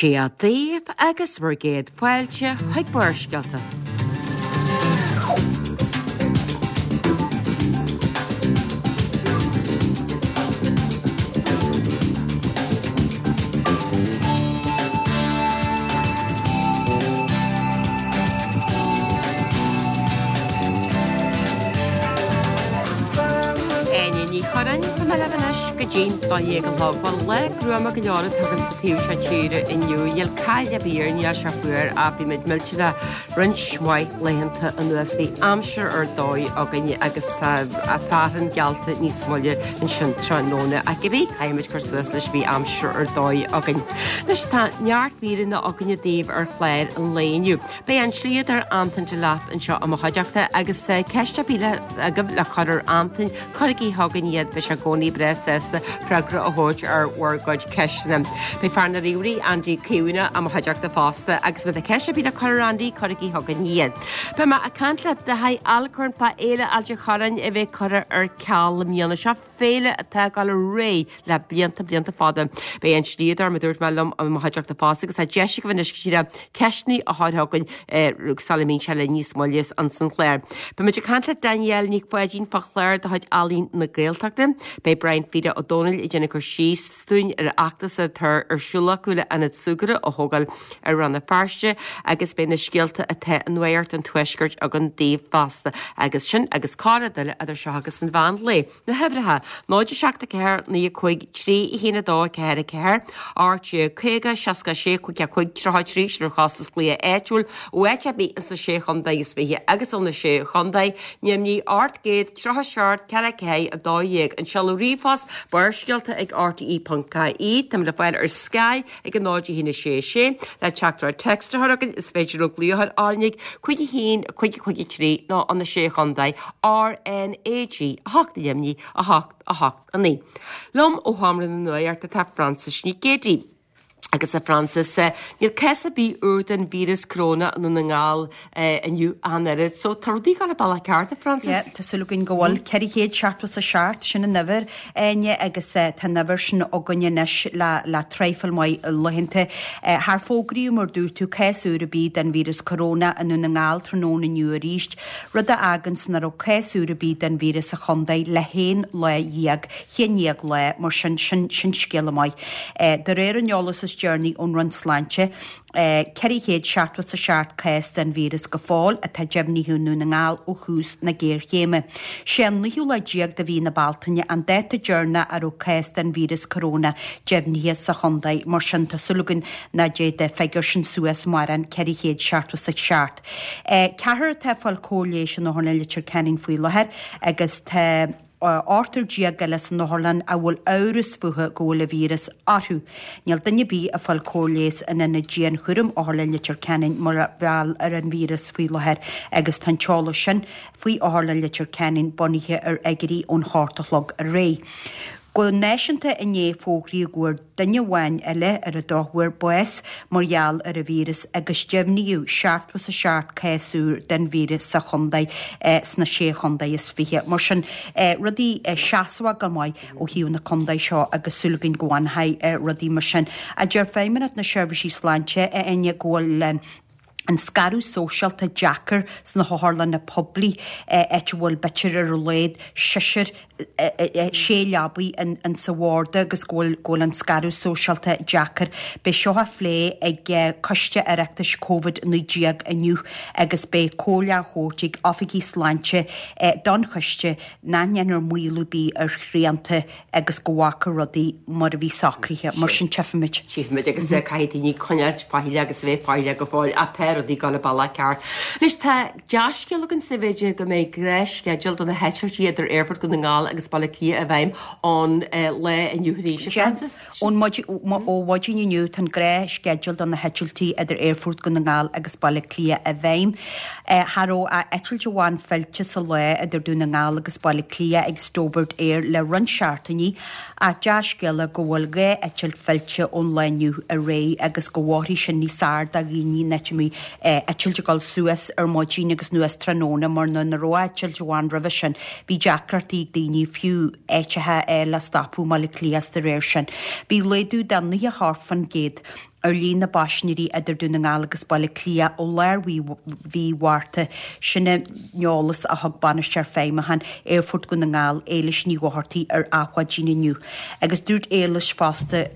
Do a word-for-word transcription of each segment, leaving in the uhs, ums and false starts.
Dia daoibh agus bhur gcéad fáilte chuig Barrscéalta. Áine Ní Churráin, tá mé libh anois go dtí'n dó dhéag a chlog. Bhuel, lá gruama go leor atá againn sa taobh seo tíre inniu. Níl caill ar bith air, níl sé fuar ach bhí muid millteanach roinnt mhaith laethanta anuas. Bhí aimsir ar dóigh againn agus tá fearthainn geallta níos moille ansin tráthnóna. Ach cibé, caithfidh muid cur suas leis, bhí aimsir ar dóigh againn. Anois tá neart míreanna againne daoibh ar chlár an lae inniu. Beidh an slíodóir Antain Delap anseo i mo chuideachta agus ceist ar bith agaibh le cur ar Antain, cuirigí chugainn iad, beidh sé i gcónaí breá sásta freagra a thabhairt ar bhur gcuid ceisteanna. Beidh fear na ríomhairí, Andy Caomhánach, i mo chuideachta fosta agus má tá ceist ar bith le cur ar Andy, cuirigí chugainn iad. Beidh mé ag caint le Daithí Alcorn fá Fhéile Ailt an Chorráin a bheidh curtha ar ceal i mbliana. Seo féile atá ag dul ar aghaidh le blianta, blianta fada. Beidh an slíodóir, mar a dúirt mé, liom i mo chuideachta fosta agus tá deis agaibh anois go díreach ceisteanna a chur chugainn sula mbíonn sé linn níos moille ins an chlár. Beidh muid ag caint le Danielle Nic Pháidín fá chlár de chuid Ealaín na Gaeltachta. Beidh Brian Pheter Ó Domhnaill ag déanamh cur síos dúinn ar an fheachtas atá ar siúl acu le ionad súgartha a thógáil ar Rann na Feirste agus beidh na scéalta atá i Nuacht an Tuaiscirt againn daoibh fosta. Agus sin agus corrrud eile idir seo agus an mheán lae. Na huimhreacha, náid a seacht a ceathair naoi a cúig trí a haon a dó a ceathair a ceathair, ocht déag caoga seasca a sé cúig a cúig tríocha a trí, sin ar chostas glaoch áitiúil ó áit ar bith ins na Sé Chontae is Fiche agus ó na Sé Chontae, Neimnigh ocht gcéad tríocha seacht ceathair ceathair a dó dhéag. An seoladh ríomhphost, Barrscéalta ag R T E ponc I E. Táimid le fáil ar Sky ag a náid a haon a sé a sé. Le teachtaireacht téacs a chur chugainn is féidir leo glaoch a chur orainn ag cúig a haon cúig cúig a trí nó ó na Sé Chontae R N A G a hocht neimnigh a hocht a hocht a naoi. Liom ó Sheomra na Nuachta tá Frances Nic Géadaigh. Agus a Frances, níl cás ar bith úr den víreas coróna i nDún na nGall inniu ach an oiread. So tá rudaí ag dul an bealach ceart, a Frances? Yeah, tá súil againn go bhfuil. Ceithre chéad seachtó is a seacht, sin an uimhir, Áine, agus tá an uimhir sin againn anois le le traidhfil maith laethanta. Char fógraíodh, mar dúirt tú, cás úr ar bith den víreas coróna i nDún na nGall tráthnóna inniu arís, rud a fháganns nach raibh cás úr ar bith den víreas sa chontae le haon lá dhéag, haon dhéag lá, mar sin, sin sin scéala maith. De réir an eolas is deireanaí ón Roinn Sláinte, ceithre chéad seachtó is a seacht cás den víreas go fóill atá deimhnithe i nDún na nGall ó thús na géarchéime. Sé an naoú lá déag de mhí na Bealtaine an dáta deireanach a raibh cás den víreas coróna deimhnithe sa chontae, mar sin tá súil againn nach dtéid an figiúr sin suas mórán, ceithre chéad seachtó is a seacht. Ceathrar atá ag fáil cóir leighis in Otharlann Leitir Ceanainn faoi láthair agus tá ochtar déag eile san otharlann a bhfuil amhras fúthu go bhfuil an víreas orthu. Níl duine ar bith ag fáil cóir leighis in ionad dianchúraim Otharlann Leitir Ceanainn mar gheall ar an víreas faoi láthair agus tá an t-eolas sin faoi Otharlann Leitir Ceanainn bunaithe ar fhigiúirí ón hocht a chlog aréir. Go náisiúnta inné fógraíodh go bhfuair duine amháin eile ar an drochuair bás mar gheall ar an víreas agus deimhníodh seachtó is a seacht cás úr den víreas sa chontae sna sé chontae is fiche. Mar sin, rudaí seasmhach go maith ó thaobh na contae seo agus súil againn go bhfanfaidh rudaí mar sin. A deir Feidhmeannacht na Seirbhísí Sláinte, a Áine, go bhfuil an scaradh sóisialta deacair sna hotharlanna poiblí, áit a bhfuil b'fhéidir ar a laghad seisear, sé leabaidh in sa bharda agus go bhfuil go bhfuil an scaradh sóisialta deacair. Beidh seo á phlé ag Coiste Oireachtais Covid a naoi déag inniu agus beidh comhairle á thabhairt ag oifigigh sláinte don choiste nach ndéanfar maolú ar bith ar shrianta agus go bhfágfar rudaí mar a bhí socraithe. Mar sin tchífimid. Tchífimid agus caithfidh daoine coinneáilt faichilleach agus a bheith faichilleach go fóill ach tá rudaí ag dul an bealach ceart. Anois tá dea-scéal againn sa mhéid go mbeidh gnáthsceideal do na heitiltí idir Aerfort Dhún na nGall agus Baile Átha Cliath i bhfeidhm ón lá inniu arís, a Frances. Ón ó mhaidin inniu tá an gnáthsceideal do na heitiltí idir Aerfort Dhún na nGall agus Baile Átha Cliath i bhfeidhm. Cha raibh ach eitilt amháin fillte sa lá idir Dún na nGall agus Baile Átha Cliath ag Stobart Air le roinnt seachtainí ach dea-scéala go bhfuil dhá eitilt fillte ón lá inniu ar aghaidh agus go bhfóirfidh sin níos fearr do dhaoine nach mbeidh eitilt ag dul suas ar maidin agus anuas tráthnóna mar nuair nach raibh eitilt amháin roimhe sin bhí deacrachtaí ag daoine fiú eitilte le stopadh i mBaile Átha Cliath is de réir sin. Bhí laghdú de naocha a hocht faoin gcéad ar líon na bpaisinéirí idir Dún na nGall agus Baile Átha Cliath ó lár mhí Mhárta. Sin an t-eolas a thug Bainisteoir Feidhmiúcháin Aerfort Dhún na nGall, Éilis Ní Dhochartaigh ar Adhmhaidin inniu. Agus dúirt Éilis fosta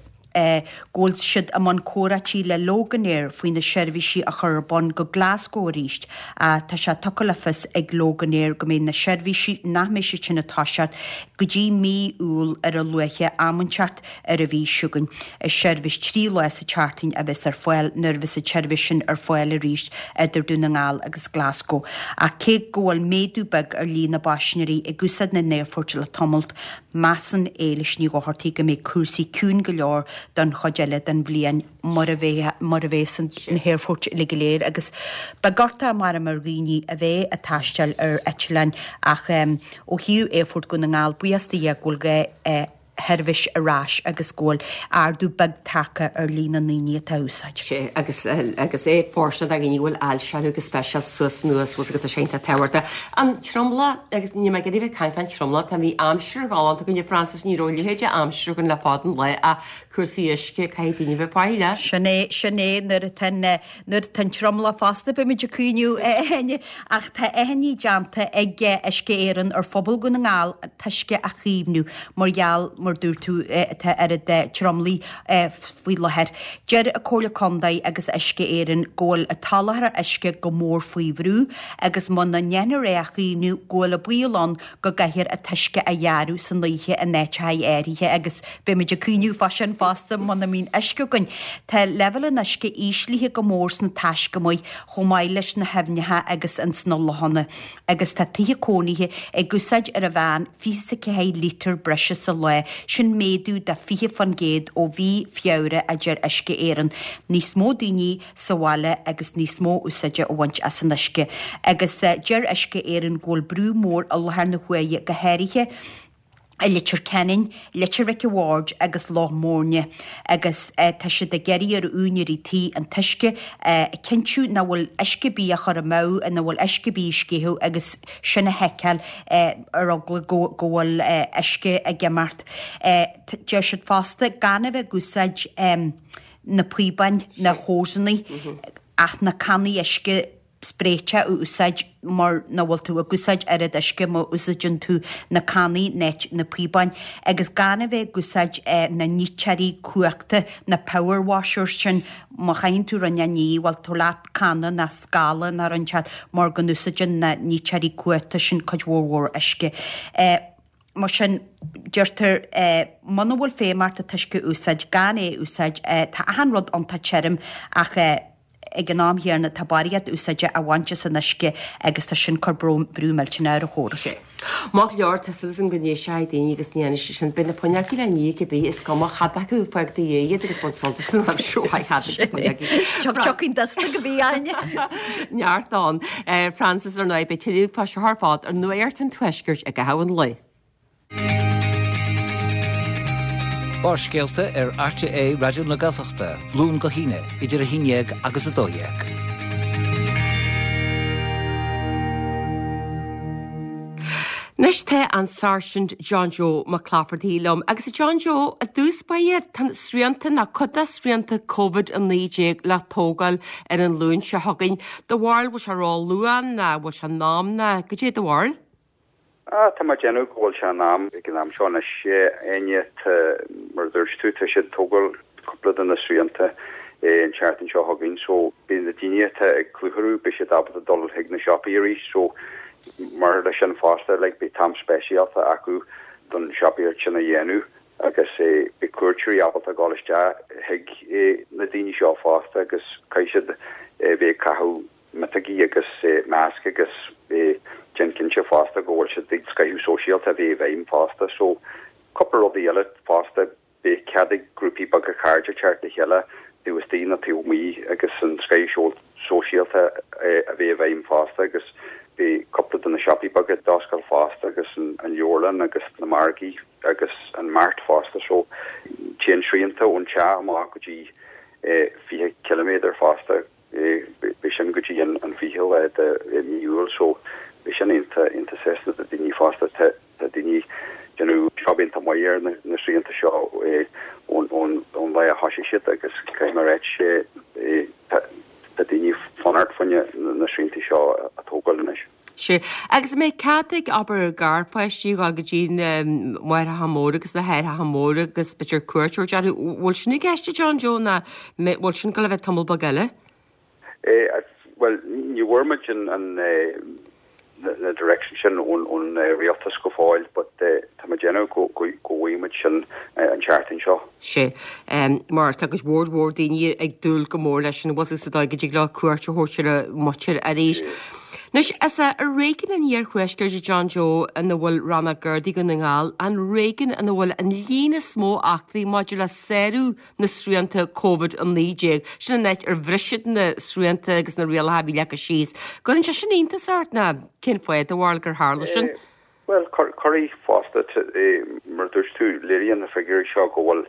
go bhfuil siad i mbun comhráití le Loganair faoi na seirbhísí a chur ar bun go Glasgow arís. Tá sé tugtha le fios ag Loganair go mbeidh na seirbhísí nach mbeidh siad sin ag toiseacht go dtí mí Iúil ar a luaithe am inteacht ar an mhí seo chugainn. Is seirbhís trí lá sa tseachtain a bheas ar fáil nuair a bheas an tseirbhís sin ar fáil arís idir Dún na nGall agus Glasgow. Ach cé go bhfuil méadú beag ar líon na bpaisinéirí ag úsáid na n-aerfort le tamalt, measann Éilis Ní Dhochartaigh go mbeidh cúrsaí ciúin go leor don chuid eile den bhliain mar a bheidh mar a bheas na haerfoirt uilig go léir agus beidh gorta mar ar dhaoine a bheidh ag taisteal ar eitleáin ach ó thaobh Aerfort Dhún na nGall buíochas do Dhia go bhfuil dhá sheirbhís ar ais agus go bhfuil ardú beag tagtha ar líon na ndaoine atá á úsáid. Sé agus agus é fóirsteanach do dhaoine a bhfuil ailse orthu go speisialta suas anuas bhfuil tá sé iontach tábhachtach. An tromlach agus níl mé ag iarraidh bheith ag caint fán tromlach tá bhí aimsir ghalánta againn a Frances ní raibh a leithéid de aimsir againn le fada an lá ach cúrsaí uisce caithfidh daoine bheith faichilleach. Sin é sin é nuair atá nuair atá an tromlach fosta beimid ag cuimhneamh ach tá achainí déanta ag Uisce Éireann ar phobal Dhún na nGall an t-uisce a chaomhnú mar gheall mar dúirt tú atá oiread tromlaigh faoi láthair. Deir an Comhairle Contae agus Uisce Éireann go bhfuil an t-soláthar uisce go mór faoi bhrú agus muna ndéanfar é a chaomhnú go bhfuil an baol ann go gcaithfear an t-uisce a ghearradh san oíche in áiteacha áirithe agus beimid ag cuimhneamh fá sin fosta muna mbíonn uisce againn. Tá leibhéal an uisce íslithe go mór sna taiscumaigh chomh maith leis na haibhneacha agus ins na lochanna agus tá tithe cónaithe ag úsáid ar an mheán fiche is a ceathair lítear breise sa lá, sin méadú de fiche faoin gcéad ó mhí Feabhra a deir Uisce Éireann. Níos mó daoine sa bhaile agus níos mó úsáide a bhaint as an uisce. Agus deir Uisce Éireann go bhfuil brú mór i láthair na huaire go háirithe i Leitir Ceanainn, Leitir Mhic a' Bhaird agus Loch Móirne agus tá siad ag iarraidh ar úinéirí tí an t-uisce a chinntiú nach bhfuil uisce ar bith á chur amú, nach bhfuil uisce ar bith ag sceitheadh agus sin a sheiceáil ar eagla go bhfuil uisce ag imeacht. Deir siad fosta gan a bheith ag úsáid na píobáin, na hósanna ach na cannaí uisce spréite a úsáid mar nach bhfuil tú ag úsáid oiread uisce má úsáideann tú na cannaí in áit na píobáin agus gan a bheith ag úsáid na niteoirí cumhachta, na power washers sin, má chaitheann tú rud a ní, bhuel tabhair leat canna ná scála ná rud inteacht mar go n-úsáideann na niteoirí cumhachta sin cuid mhór mhór uisce. Mar sin, deirtear, muna bhfuil feidhm ort an t-uisce a úsáid, gan é a úsáid, tá achan rud iontach tirim ach ag an am chéanna tá barraíocht úsáide á bhaint as an uisce agus tá sin ag cur brú millteanach ar an chóras. Maith go leor, tá súil agam go n-éistfidh daoine agus ní dhéanfaidh siad sin. Beidh na fuinneogaí le ní cibé, is cuma cad acu, fág do dhéidh iad agus bain sult as an aimsir mhaith cad acu fuinneogaí. Tiocfaidh dusta go bí Áine. Neart ann. Frances, ar ndóigh, beidh tuilleadh fá seo ar fad ar Nuacht an Tuaiscirt i gcaitheamh an lae. Barrscéalta ar RTÉ Raidió na Gaeltachta, Luan go hAoine, idir a haon déag agus a dó dhéag. Anois tá an Sáirsint John Joe Mac Laifeartaigh liom. Agus a John Joe, i dtús báire, tá srianta nó cuid de srianta Covid a naoi déag le tógáil ar an Luan seo chugainn. Do bharúil, bhfuil sé ró-luath nó bhfuil sé in am nó goidé do bharúil? Ah, tá mé ag déanamh go bhfuil sé in am ag an am seo anois, Áine, tá, mar a dúirt tú, tá siad ag tógáil cúpla de na srianta an tseachtain seo chugainn so beidh na daoine atá ag clutharú, beidh siad ábalta dul chuig na siopaí arís so mar leis sin fosta, like, beidh t-am speisialta acu don siopaíocht sin a dhéanamh agus beidh cuairteoirí ábalta dul isteach chuig na daoine seo fosta agus caithfidh siad bheith ag caitheamh miotógaí agus masc agus déan cinnte fosta go bhfuil siad ag scoitheadh sóisialta a bheith i bhfeidhm fosta. So cúpla rudaí eile fosta, beidh cead ag grúpaí beaga cairde teacht le chéile taobh istigh nó taobh amuigh agus an scoitheadh sóisialta a bheith i bhfeidhm fosta agus beidh cúpla de na siopaí beaga d'oscailt fosta agus an leabharlann agus na margaí agus an mart fosta. So téann srianta ón teach amach go dtí fiche ciliméadar fosta. Beidh sin go dtí an fiche lá de mí Iúil so beidh sin iontach iontach sásta do daoine fosta. Tá daoine déanamh job iontach maith ar na srianta seo ón ón lá a thosaigh siad agus caithfidh mé a ráit tá daoine fanacht fá choinne na srianta seo a tógáil anois. Sea. Agus an mbeidh cead ag, abair, garpháistí a dhul go dtí na máithreacha móra agus na haithreacha móra agus b'fhéidir cuairt a thabhairt orthu. Bhfuil sin i gceist a John Joe nó bhfuil sin ag dul a bheith tamall beag eile? Bhuel, ní bhfuair muid an na direction sin ón ón rialtas go fóill but tá mé ag déanamh go go bhfaighidh muid sin an tseachtain seo. Sea. Mar tá cuid mhór mhór daoine ag dúil go mór leis sin, bhfuil sa dóigh go dtig leo cuairt a thabhairt ar a muintir arís. Anois, is é réigiún an Iarthuaiscirt a John Joe ina bhfuil Rannóg Gardaí Dhún na nGall, an réigiún ina bhfuil an líon is mó eachtraí maidir le sárú na srianta Covid a naoi déag. Sin an áit ar bhris siad na srianta agus na rialacha a bhí leagtha síos. Cuireann sé sin iontas ort nó cén fáth do bharúil gur tharla sin? Bhuel, cuirfidh fosta, mar a dúirt tú, léiríonn na figiúirí seo go bhfuil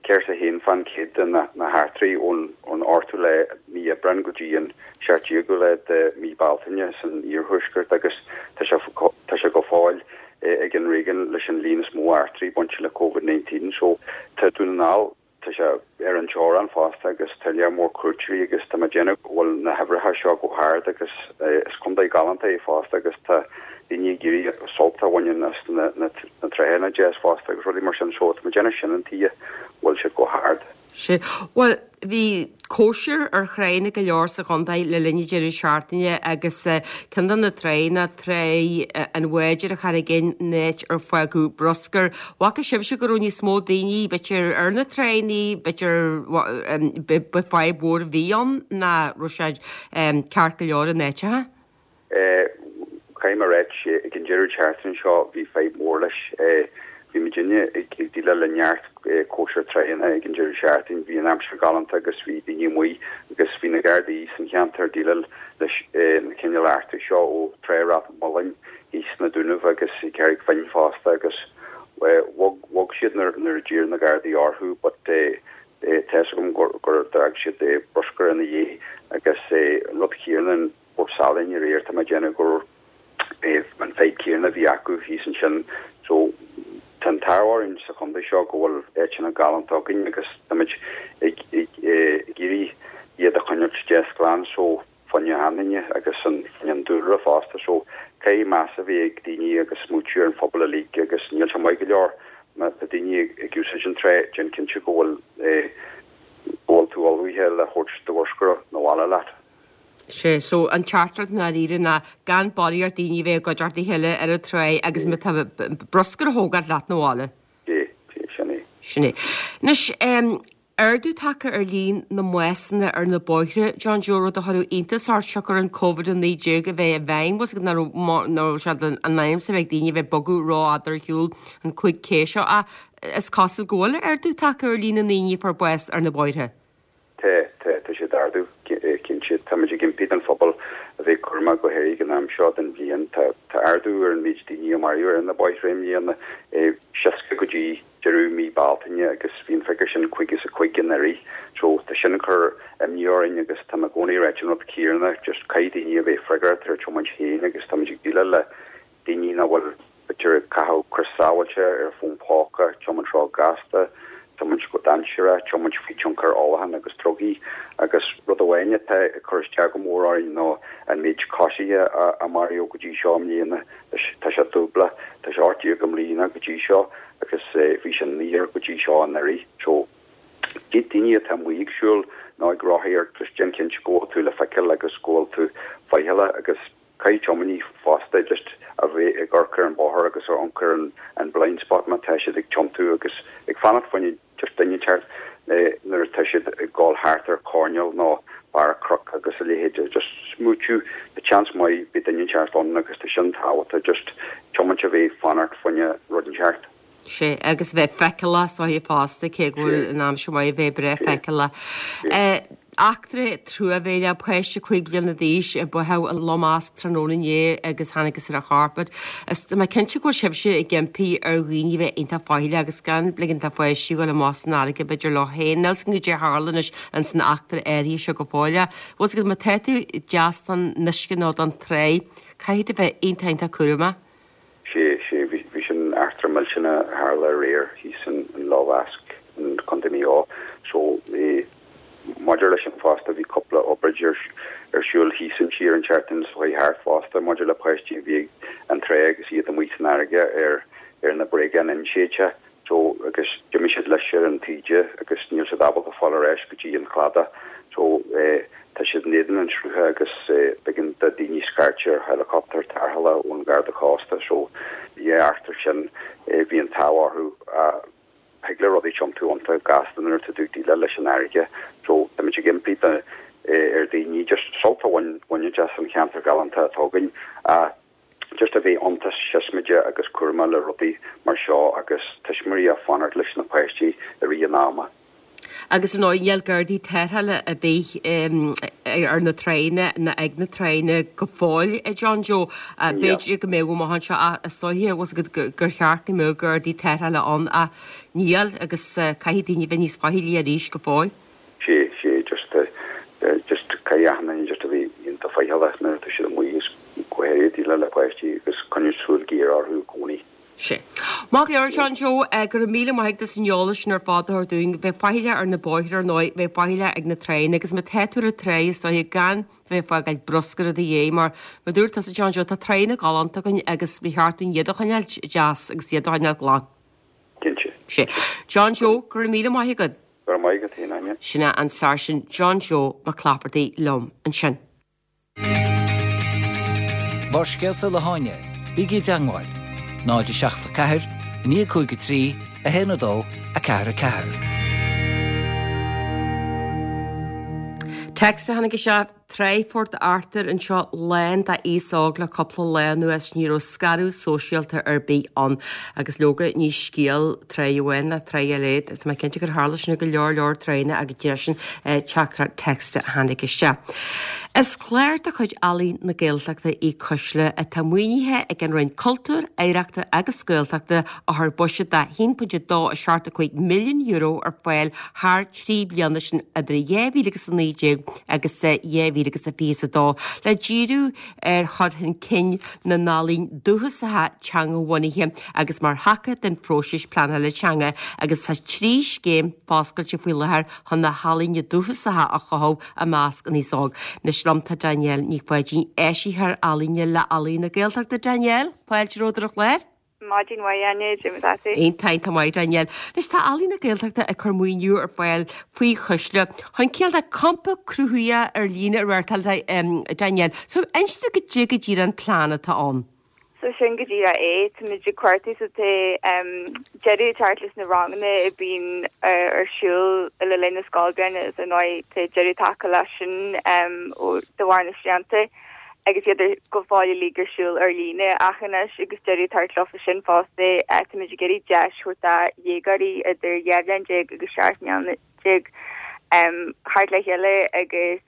ceathracha a haon fán chéad de na heachtraí ón ochtú lá mí Aibreán go dtí an seacht déagú lá de mí Bealtaine san iarthuaisceart agus tá sé tá sé go fóill ag an réigiún leis an líon is mó eachtraí bainte le Covid naoi déag. So tá Dún na nGall, tá sé ar an teorainn fosta agus tá lear mór cuairteoirí agus tá mé ag déanamh go bhfuil na huimhreacha seo go hard agus is contae galánta é fosta agus tá daoine ag iarraidh sult a bhaint as na na tránna deas fosta agus rudaí mar sin so tá mé ag déanamh sin an tuige bhfuil siad go hard. Sea. Bhuel, bhí cóisir ar thránna go leor sa chontae le linn an deireadh seachtaine agus ceann de na tránna, trá an bháid ar an Charraig Fhinn, an áit ar fágadh bruscar. Bhfaca sibhse go raibh níos mó daoine, b'fhéidir, ar na tránna, b'fhéidir ba fadhb mhór a bhí ann nó raibh sé ceart go leor in áiteacha? Caithfidh mé a ráit, ag an deireadh seachtaine seo bhí fadhb mhór leis. Bhí muidinne ag déileáil le neart cóisir tránna ag an deireadh seachtaine. Bhí an aimsir galánta agus bhí daoine amuigh agus bhí na Gardaí san cheantar ag déileáil leis na cineál eachtraí seo ó Trá Ráth an Mhuilinn thíos sna Dúnaibh agus i gCarraig Finn fosta agus bhog bhog siad nuair nuair a d'iarr na Gardaí orthu but tá fhios agam gur gur d'fhág siad bruscar ina dhiaidh agus an rud céanna in Port Salainn aréir tá mé ag déanamh gur an fadhb céanna a bhí acu thíos ansin. So tá an t-ádh orainn sa chontae seo go bhfuil áiteanna galánta againn agus táimid ag ag ag iarraidh iad a choinneáilt deas glan so fá choinne achan duine agus an fá choinne an dúlra fosta so caithfidh meas a bheith ag daoine agus smaoitiú ar an phobal uilig agus níl sé maith go leor má tá daoine ag ag úsáid an trá déan cinnte go bhfuil go bhfuil tú ullmhaithe le thabhairt do bhruscar 'na bhaile leat. Sea, so an teachtaireacht i ndáiríre ná gan barraíocht ar daoine a bheith i gcuideachta a chéile ar an trá agus má tá bruscar a thógáil leat 'na bhaile. Sea, sea, sin é. Sin é. Anois, ardú tagtha ar líon na mbásanna ar na bóithre, John Joe, rud a chuirfeadh iontas ort siocair an Covid a naoi déag a bheith i bhfeidhm, bhfuil 's agat nach raibh nach raibh sé in ainm is a bheith ag daoine a bheith ag bogadh rófhada ar shiúl an cúig K seo ach is cosúil go bhfuil ardú tagtha ar líon na ndaoine a fuair bás ar na bóithre. Tá, tá, tá sé ag ardú, cinnte. Táimid ag impí don phobal a bheith cúramach go háirithe ag an am seo den bhliain. Tá, tá ardú ar an méid daoine a maraíodh ar na bóithre i mbliana, seasca go dtí deireadh mí Bealtaine agus bhí an figiúr sin caoga is a cúig anuraidh. So tá sin ag cur imní orainn agus tá mé i gcónaí ag ráit an rud céanna, just caithfidh daoine a bheith freagrach ar tiomáint féin agus táimid ag déileáil le daoine nach bhfuil b'fhéidir ag caitheamh crios sábháilte ar fón póca, tiomáint ró-ghasta, tiomáint go dainséarach, tiomáint faoi tionchar ólacháin agus drugaí. Agus rud amháin atá ag cur isteach go mór orainn ná an méid coisithe a, a maraíodh go dtí seo i mbliana. Tá sé dúbla, tá sé ocht déag i mbliana go dtí seo agus bhí sé naonúr go dtí seo anuraidh. So daoine atá amuigh ag siúl nó ag rothaíocht, just déan cinnte go bhfuil tú le feiceáil agus go bhfuil tú faichilleach agus caithfidh tiománaí fosta just a bheith ag amharc ar an bóthar agus ag amharc ar an, an blind spot má tá siad ag tiontú agus ag fanacht fá choinne just duine inteacht nuair atá siad ag gabháil thart ar choirnéal nó barr cnoc agus a leithéid just smaoitiú tá seans maith beidh duine inteacht ann agus tá sin tábhachtach just tiomáint a bheith fanacht fá choinne rud inteacht. Sea, agus bheith feiceálach is dóiche fosta cé go bhfuil an aimsir maith a bheith breá feiceálach. Eachtra truamhéileach, páiste cúig bliana d'aois a báthadh i Loch Measc tráthnóna inné agus thángthas ar a chorp. Is tá mé cinnte go bhfuil sibhse ag impí ar dhaoine bheith iontach faichilleach agus gan ligean do pháistí dul amach san fharraige b'fhéidir leo féin. Níl 's agam goidé a tharla anois ins an eachtra áirithe seo go fóill. Bhfuil 's agat má tá tú deas don uisce nó don trá, caithfidh tú bheith iontach iontach cúramach. Sé, sé, bhí bhí sin eachtra millteanach a tharla aréir thíos in in Loch Mheasc in Contae Mhaigh Eo. So, eh, Maidir leis sin fosta, bhí cúpla obráid ar ar siúl thíos sa tír an tseachtain seo chuaigh thart fosta maidir le páistí a bhí ag an trá agus iad amuigh san fharraige ar ar na bréagáin inséidte so agus d'imigh siad leis ar an taoide agus níl siad ábalta fáil ar ais go dtí an cladach so eh tá siad in éadan an srutha agus eh b'éigean do daoine scairt ar helicopter tarrthála ón Gharda Cósta so bhí eachtra sin eh bhí an t-ádh orthu ah Thig le rudaí tiontú iontach gasta nuair atá tú ag déileáil leis an fharraige so táimid ag impí ar daoine just sult a bhaint as an cheantar galánta atá againn ach just a bheith iontach siosmaideach agus cúramach le rudaí mar seo agus tuismitheoirí ag fanacht leis na páistí i rith an ama. Agus ar ndóigh níl gardaí tarrthála ar bith ar na tránna ná ag na tránna go fóill, a John Joe. B'fhéidir go mbeadh amach anseo ach is dóiche bhfuil 's agat gur cheart go mbeadh gardaí tarrthála ann ach níl agus caithfidh daoine bheith níos faichillí arís go fóill. Sé, sé, just just caithfidh achan duine just a bheith iontach faichilleach nuair atá siad amuigh is go háirithe ag déileáil le páistí agus coinneáil súil ghéar orthu i gcónaí. Sé. Maith go leor, John Joe, go raibh míle maith agat as an eolas sin ar fad a thabhairt dúinn. Bheith faichilleach ar na bóithre ar ndóigh, bheith faichilleach ag na tránna agus má tá tú ar an trá is dóiche gan bheith ag fágáil bruscar i do dhiaidh mar mar dúirt tusa John Joe tá tránna galánta againn agus ba cheart dúinn iad a choinneáil deas agus iad a choinneáil glan. Cinnte. Sé. John Joe, go raibh míle maith agat. Go raibh maith agat féin, Áine. Sin é an Sáirsint John Joe Mac Laifeartaigh liom ansin. Barrscéalta le hÁine, bígí i dteagmháil, náid a seacht a ceathair, naoi cúig a trí, a haon a dó, a ceathair a ceathair. Text a tháinig isteach, Trá Phort Arthur anseo lán d'aos óg le cúpla lá anuas, ní raibh scaradh sóisialta ar bith ann. Agus leoga ní scéal trá amháin ná trá eile, tá mé cinnte gur tharla sin i go leor leor tránna agus deir sin teachtaireacht text a tháinig isteach. Is clár de chuid Ealaín na Gaeltachta í Cuisle atá maoinithe ag an Roinn Cultúir, Oidhreachta agus Gaeltachta a chuir buiséad de a haon pointe dó a seacht a cúig milliún euro ar fáil thar trí bliana, sin idir dhá mhíle agus a naoi déag agus dhá mhíle agus a fiche a dó, le díriú ar chur chun cinn na n-ealaíon dúchasacha teangabhunaithe agus mar thaca den phróiseas pleanála teanga agus tá trí scéim foscailte faoi láthair chun na healaíona dúchasacha a chothú i measc an aos óg. Anois liom tá Danielle Ní Pháidín, Áisitheoir Ealaíne le Ealaín na Gaeltachta. Danielle, fáilte romhat ar an chlár. Maidin mhaith, Áine, cad é mar atá tú? Iontach, iontach maith, Danielle. Anois tá Ealaín na Gaeltachta ag cur maoiniú ar fáil faoi Chuisle chun cineál de campa cruthaitheach ar líne a reáchtáil, Danielle. So inis dom goidé go díreach an plean atá ann. So sin go díreach é, táimid ag cuartú so tá deireadh ag teacht leis na ranganna a bíonn ar siúl le linn na scoilbhliana is ar ndóigh tá deireadh tagtha leis sin de bharr na srianta agus iad go fóill uilig ar siúl ar líne ach anois agus deireadh ag teacht leofa sin fosta táimid ag iarraidh deis a thabhairt do dhéagóirí idir dhá bhliain déag agus seacht mbliana déag theacht le chéile agus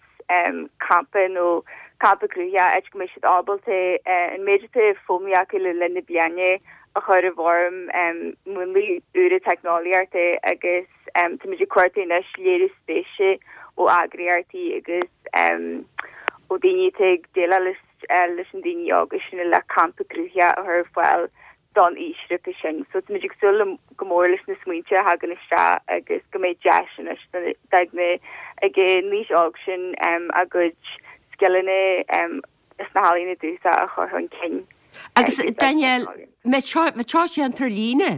campa nó campa cruthaitheach áit go mbeidh siad ábalta an méid atá foghlamtha acu le linn na bliana a chur i bhfoirm múnlaí úra teicneolaíochta agus táimid ag cuartú anois léiriú spéise ó eagraíochtaí agus ó daoine atá ag déileáil leis na daoine óga sin le campa cruthaitheach a chur ar fáil don aoisghrúpa sin. So táimid ag súil go mór leis na smaointe a thagann isteach agus go mbeidh deis anois ag na ag an aois óg sin a gcuid scileanna sna healaíona dúchasacha a chur chun cinn. Agus Danielle, mbeidh seo déanta ar líne?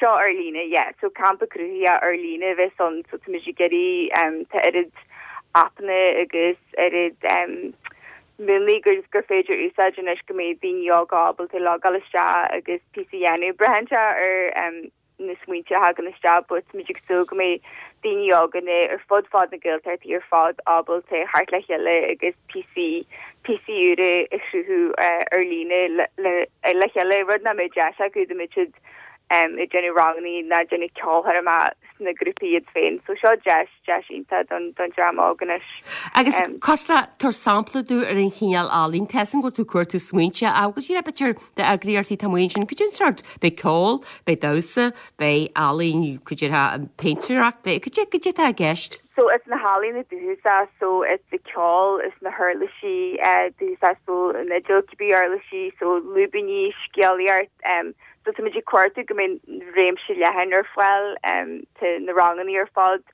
Seo ar líne, yeah. So campa cruthaitheach ar líne a bheas ann so táimid ag iarraidh tá oiread aipeanna agus oiread múnlaí gur gur féidir úsáid anois go mbeidh daoine óga ábalta logáil isteach agus píosa a dhéanamh. Braitheann sé ar na smaointe a thagann isteach but táimid ag súil go mbeidh daoine óga ar fud fad na Gaeltachtaí ar fad ábalta theacht le chéile agus píosaí píosaí úra a chruthú ar líne le le chéile, rud nach mbeadh deis acu dá mbeadh siad ag déanamh ranganna ná déanamh ceolchoirme sna grúpaí iad féin. So seo deis deis iontach don don dream óg anois. Agus Costa tabhair sampla dúinn ar an chineál ealaín tá sin go tú cuir tú smaointe agus sí b'fhéidir d'eagraíochtaí tá muin sin cad é an sórt beidh ceol, beidh damhsa, beidh ealaín cuid péintéireacht, beidh cad é cad é atá i gceist. So is na healaíona dúchasach so is de ceol is na huirlisí dúchasach so an fhidil cibé uirlisí so lúibíní scéalaíocht um, so tá muid ag cuartú go mbeidh réimse leathan ar fáil um, tá na ranganna ar fad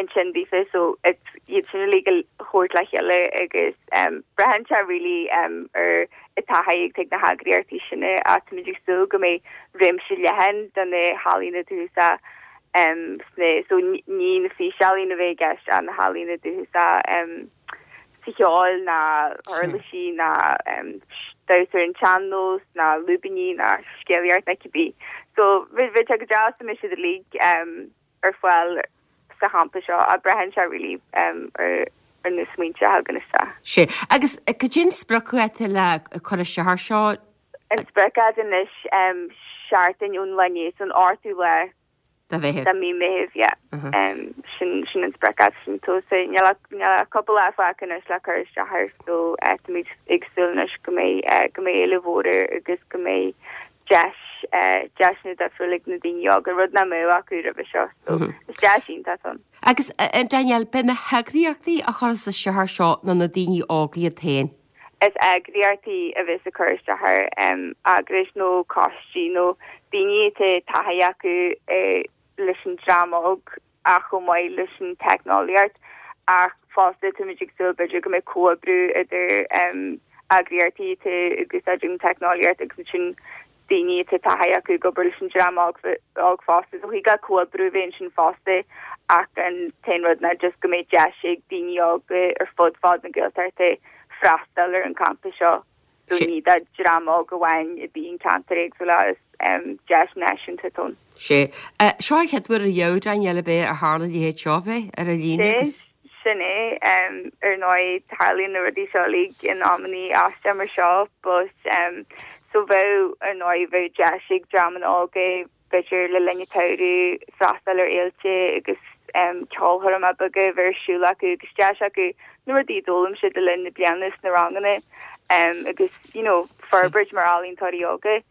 ansin daofa so iad sin uilig a thabhairt le chéile agus um, braitheann sé really um, ar an taithí ag na heagraíochtaí sin ach tá muid ag súil go mbeidh réimse leathan de na healaíona dúchasach um, sna so ní na físealaíona a bheidh i gceist ach na healaíona dúchasach um, sa cheol na huirlisí na um, damhsa ar an sean-nós na lúibíní na scéalaíocht na cibé. So bhí bhí go deas mé siad uilig um, ar fáil sa champa seo a braitheann sé really um, ar ar na smaointe a thagann isteach. Sé agus cad é an spriocdháta le cur isteach air seo An spriocdháta anois um, seachtain ón lá inné an ochtú lá de Mheitheamh. De mí Meitheamh yeah. um, sin sin an spriocdháta sin tó se níl cúpla lá fágtha anois le cur isteach air so eh, táimid ag súil anois go mbeidh eh, go mbeidh éileamh mhór agus go mbeidh deis eh, deiseanna difriúla ag na daoine óga rud nach mbeadh acu roimhe seo so is deis iontach ann. Agus Danielle beidh na heagraíochtaí a chuireann isteach air seo nó na daoine óga iad féin. Is eagraíochtaí a bheas ag cur isteach air um, eagrais nó coistí nó daoine atá taithí acu eh, leis an dream óg ach chomh maith leis an teicneolaíocht ach fosta táimid ag súil b'fhéidir go mbeidh comhoibriú idir um, eagraíochtaí atá ag úsáid an teicneolaíocht agus sin daoine atá taithí acu ag obair leis an dream óg óg fosta so thig le comhoibriú bheith ansin fosta ach an t-aon rud ná just go mbeidh deis ag daoine óga ar fud fad na Gaeltachta freastal ar an campa seo. So ní do dream óg amháin a bhí in ceantar éagsúla is um, deis náisiúnta atá ann. Sé seo an chéad uair riamh Danielle b'fhéidir a tharla a leithéid seo bheith ar an líne agus Sin é um, ar ndóigh tarlaíonn na rudaí seo uilig in amanna aisteacha mar seo, but um, so bheadh ar ndóigh bheadh deis ag dreamanna óga b'fhéidir le linn an tsamhraidh freastal ar fhéilte agus um, ceolchoirmeacha beaga bheith ar siúl acu agus deis acu na rudaí a d'fhoghlaim siad le linn na bliana sna ranganna um, agus you know, forbairt mar ealaíontóirí óga.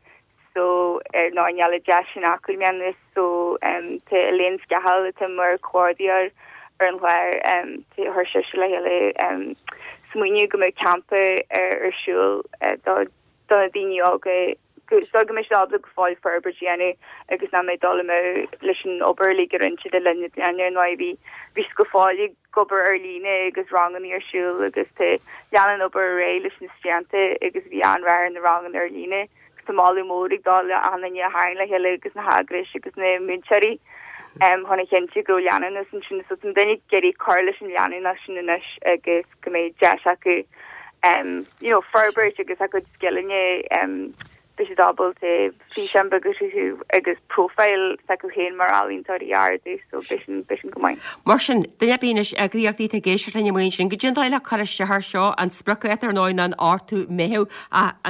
So ar ndóigh níl an deis sin acu i mbliana so um, tá Elaine Scahill atá mar comhordaitheoir ar an chlár um, chuir sise le chéile um, smaoineamh go mbeadh campa ar ar siúl uh, do do na daoine óga so go mbeidh siad ábalta go fóill forbairt a dhéanamh agus nach mbeidh dul amú leis an obair uilig a rinne siad le linn na bliana ar ndóigh bhí bhí go fóill ag obair ar líne agus ranganna ar siúl agus tá lean an obair ar aghaidh leis na srianta agus bhí an-rath ar na ranganna ar líne agus tá moladh mór ag dul le achan duine a tharraing le chéile agus na heagrais agus na múinteoirí um, chun a chinntiú go leanúnas ansin so tá daoine ag iarraidh cur leis an leanúnas sin anois agus go mbeidh deis acu um, you know, forbairt agus a gcuid scileanna um, beidh siad ábalta físeán beag a chruthú agus profile s'acu féin mar ealaíontóirí a ardú so beidh sin beidh sin go maith. Mar sin duine ar bith anois eagraíochtaí atá ag éisteacht linn amuigh ansin cad é an dóigh le cur isteach air seo an spriocdháta ar ndóigh ná an ochtú Meitheamh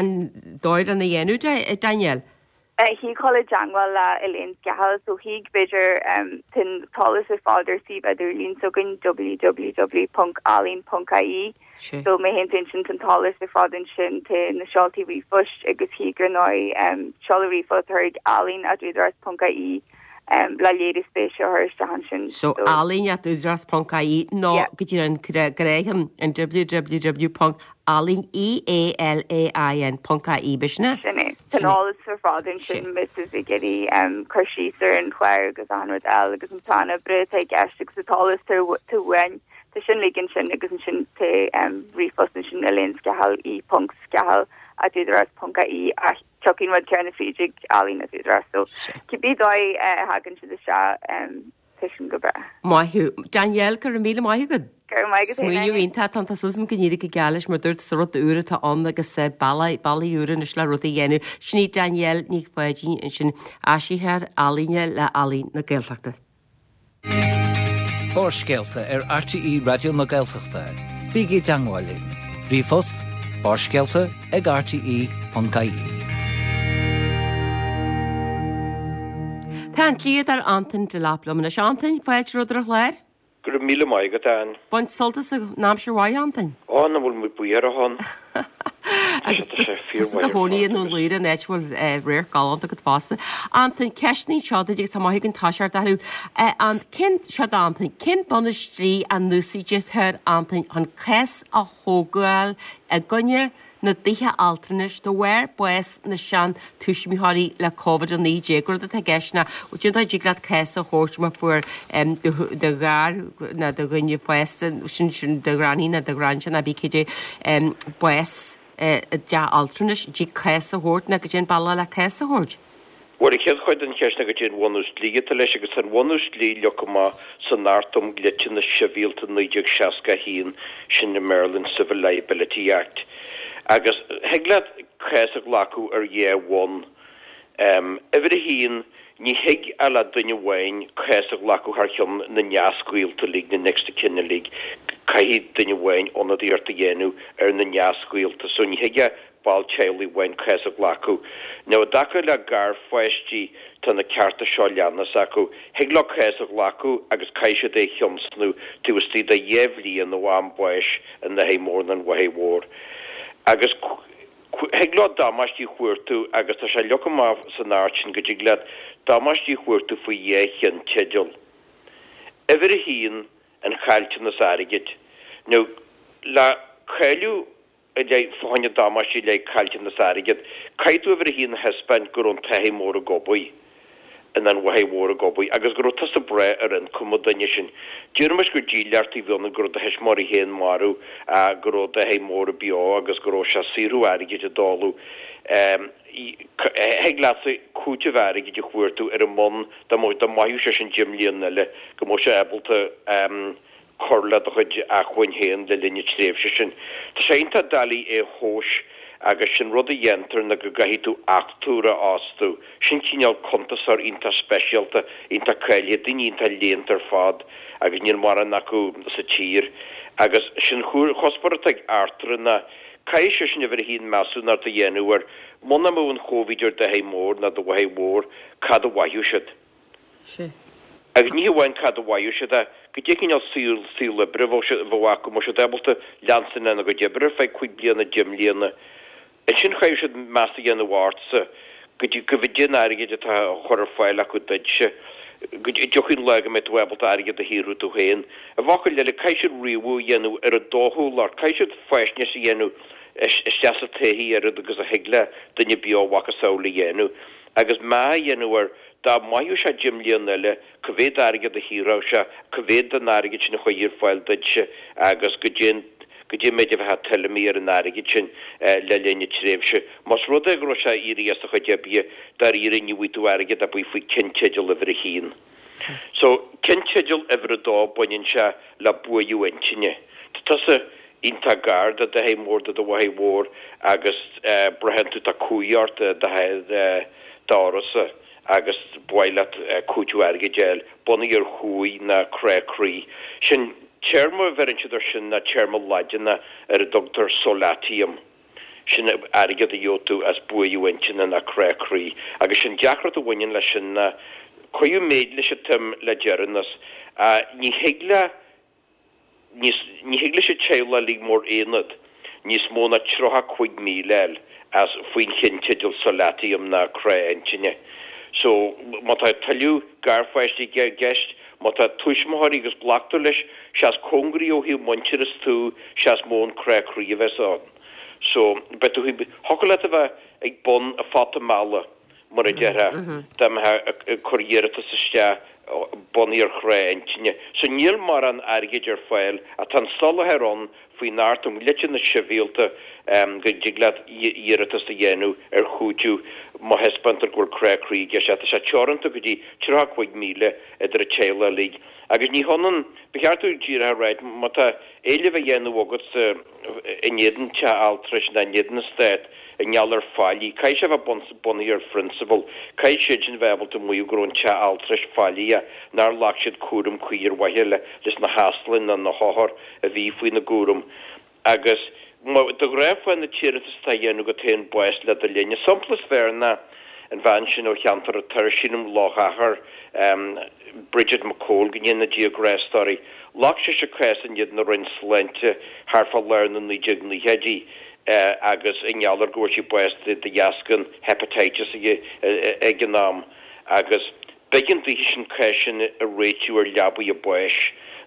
an dóigh lena dhéanamh Danielle. Thig dul i dteagmháil le Elaine Scahill so thig b'fhéidir um, tá an t-eolas ar fad ar suíomh idirlín s'againn www.ealaín.ie so má théann tú ansin tá an t-eolas ar fad ansin tá na seoltaí ríomhphoist agus thig ar ndóigh um, seoladh ríomhphost chuig ealaín at údarás.ie um, le léiriú spéise a chur isteach ansin. So ealaín at údarás.ie nó go dtí an gréasán an www.ealaín E-A-L-A-I-N.ie b'shin é? Sin é. Tá an t-eolas ar fad ansin má tá tú ag iarraidh um, cur síos ar an chlár agus an rud eile agus an plean oibre atá i gceist agus an t-eolas atá uainn tá sin uilig ansin agus ansin tá um, ríomhphost ansin Elaine Scahill e ponc scahill at údarás.ie a tiocfaidh an rud céanna fríd ealaín at údarás so cibé dóigh uh, a thagann siad isteach um, tá sin go breá. Maith thú Danielle go raibh míle maith agat. Go raibh maith agat Smaoineamh iontach tá tá súil agam go n-éireoidh go geal leis mar dúirt is rud úr atá ann agus bealaí bealaí úra anois le rudaí a dhéanamh. Sin í Danielle Ní Pháidín ansin áisitheoir ealaíne le Ealaín na Gaeltachta. Barrscéalta ar RTÉ Raidió na Gaeltachta. Bígí i dteagmháil linn. Ríomhphost barrscéalta ag rte.ie. Tá an dlíodóir Antain Delap liom anois. Antain, fáilte romhat ar an chlár. Go raibh míle maith agat, Ann. Bain sult as an aimsir mhaith, Antain. Ó, nach bhfuil muid buíoch ann. Agus tusa i do chónaí i nDún Laoghaire an áit a bhfuil radharc galánta agat fosta. Antain, ceisteanna seo duit agus tá maith againn toiseacht orthu. An cén seo Antain, cén bunús dlí a n-úsáidtear Antain chun cás a thógáil i gcoinne na dtithe altranais de bharr bás na seantuismitheoirí le Covid a naoi déag. Rud atá i gceist ná cén dóigh a dtig leat cás a thabhairt má fuair do ghar nó do dhuine fásta, sin sin do ghranny nó do ghransea nó bí cé bás i dteach altranais, dtig cás a thabhairt nó goidé an bealach le cás a thabhairt. Bhuel, an chéad chuid den cheist ná goidé an bhunús dlí atá leis, agus tá an bhunús dlí leagtha amach san Acht um Dhliteanas Sibhialta naoi déag seasca a haon, sin i mBéarla an Civil Liability Act. Agus thig leat cás a ghlacadh ar dhá bhonn. Uimhir a haon, ní thig ach le duine amháin cás a ghlacadh thar cheann na neasghaolta uilig, na next of kin uilig. Caithfidh duine amháin ionadaíocht a dhéanamh ar na neasghaolta, so ní thig ach ball teaghlaigh amháin cás a ghlacadh. Now i dtaca le garpháistí tá na cearta seo leanas acu. Thig leo cás a ghlacadh agus caithfidh siad é a thionscnamh taobh istigh de dhá bhliain ó am báis an athar mhóir nó an mháthair mhór. Agus thig leo damáistí a chuartú agus tá sé leagtha amach san Acht sin go dtig leat damáistí a chuartú faoi dhá cheannteideal. Uimhir a haon, an caillteanas airgid. Now le cáiliú i leith fá choinne damáistí i leith caillteanas airgid, caithfidh tú uimhir a haon a thaispeáint go raibh an t-athair mór ag obair, nó an mháthair mhór ag obair, agus go raibh tusa ag brath ar ioncam an duine sin. Déarfaimis gur dílleachtaí a bhí ann, go raibh do thuismitheoirí féin marbh, go raibh d'athair mór beo agus go raibh sé ag saothrú airgid i dtólamh. Thig leatsa cúiteamh airgid a chuartú ar an mbonn dá mairfeadh sé sin deich mbliana eile, go mbeadh sé ábalta cur le do chuid acmhainn féin le linn na tréimhse sin. Tá sé iontach doiligh é a thomhas agus sin rud a dhéantar ná go gcaithfidh tú achtúire a fhostú. Sin cineál cuntasóir iontach speisialta, iontach cáilithe, daoine iontach léannta ar fad agus níl mórán acu sa tír. Agus sin chuspóir atá ag achtúire ná caithfidh seisean uimhir a haon measúnacht a dhéanamh ar muna mbeadh an Chóivid ar d'athair mór ná do mháthair mhór, cad a mhairfeadh siad. Sea. Agus ní hamháin cad a mhairfeadh siad ach goidé cineál saol, saol oibre a bheadh siad, a bheadh acu, an mbeadh siad ábalta leanstan lena gcuid oibre ar feadh cúig bliana, deich mbliana. Ansin chaithfeadh siad meas a dhéanamh ortsa, goidé, goidé an airgead atá á chur ar fáil acu duitse, go dtiocfaidh an lá go mbeidh tú ábalta airgead a shaothrú tú féin. I bhfocail eile, caithfidh siad ríomhadh a dhéanamh ar an dóchúlacht, caithfidh siad faisnéis a dhéanamh isteach sa taithí oiread agus a thig le duine beo a mhacasamhail a dhéanamh agus meá a dhéanamh ar dá mairfeadh sé deich mbliana eile, cá mhéad airgead a shaothródh sé, cá mhéad den airgead sin a chuirfí ar fáil duitse agus goidé an goidé an méid a bheifeá tuillimí ar an airgead sin le linn na tréimhse. Más rud é go raibh sé éirithe as a chuid oibre, dáiríre ní bhfaighidh tú airgead ar bith faoi ceannteideal uimhir a haon. So, ceannteideal uimhir a dó, baineann sé le buaireamh intinne. Tá tusa iontach gar do d'athair mór, do do mháthair mhór agus braitheann tú tá cumhaidh ort i d'uireasa agus ba mhaith leat cúiteamh airgid a fháil bunaithe ar chumhaidh ná crá croí. Sin téarma a bheireann siad air sin ná téarma Laidineach ar a dtugtar solatium. Sin airgead a gheobhaidh tú as buaireamh intinne ná crá croí. Agus sin deacracht a bhaineann leis sin ná cuireadh méid leis an tsuim le deireanas. Ní thig le. Níos, ní thig leis an teaghlach uilig mar aonad níos mó ná tríocha cúig míle a fháil as faoin cheannteideal solatium ná crá intinne. So, má tá tuilleadh garpháistí i gceist, má tá tuismitheoirí agus glactar leis, sea is cóngaraí ó thaobh muintearas tú, sea is mó an crá croí a bheas ann. So, beidh tú, thiocfadh leat a bheith ag bun an phota meala. mar a déarfá, dá mbeifeá ag cur iarratas isteach bunaithe ar chrá intinne. So níl mórán airgid ar fáil ach tá an soláthar ann faoin Acht um Dhliteanas Sibhialta go dtig leat iarratas a dhéanamh ar chúiteamh má thaispeántar go bhfuil crá croí i gceist. Tá sé teoranta go dtí tríocha cúig míle idir an teaghlach uilig. Agus ní hionann, ba cheart dúinn díreach a ráit, má tá éileamh á dhéanamh agatsa in éadan teach altrais nó in éadan an Stát, i ngeall ar faillí. Caithfidh sé a bheith bunaithe ar phrionsabal. Caithfidh siadsan bheith ábalta maíomh go raibh an teach altrais faillíoch, nár ghlac siad cúram cuí ar mhaithe leis na heasláin nó na hothair a bhí faoina gcúram. Agus de ghnáth faigheann an t-iarratas atá á dhéanamh agat féin bás le do linn. An sampla is fearr ná an bhean sin ó cheantar an Toir, sílim Loch Achar, Bridget McCole, go ndéana Dia grásta uirthi. Ghlac sise cás in éadan na Roinne Sláinte thart fá lár na naoi déag naochaidí agus i ngeall ar go bhfuair sí bás de dheasca an hepatitis ag an am agus b'éigean daoithe sin cás sin a réitiú ar leabaidh a báis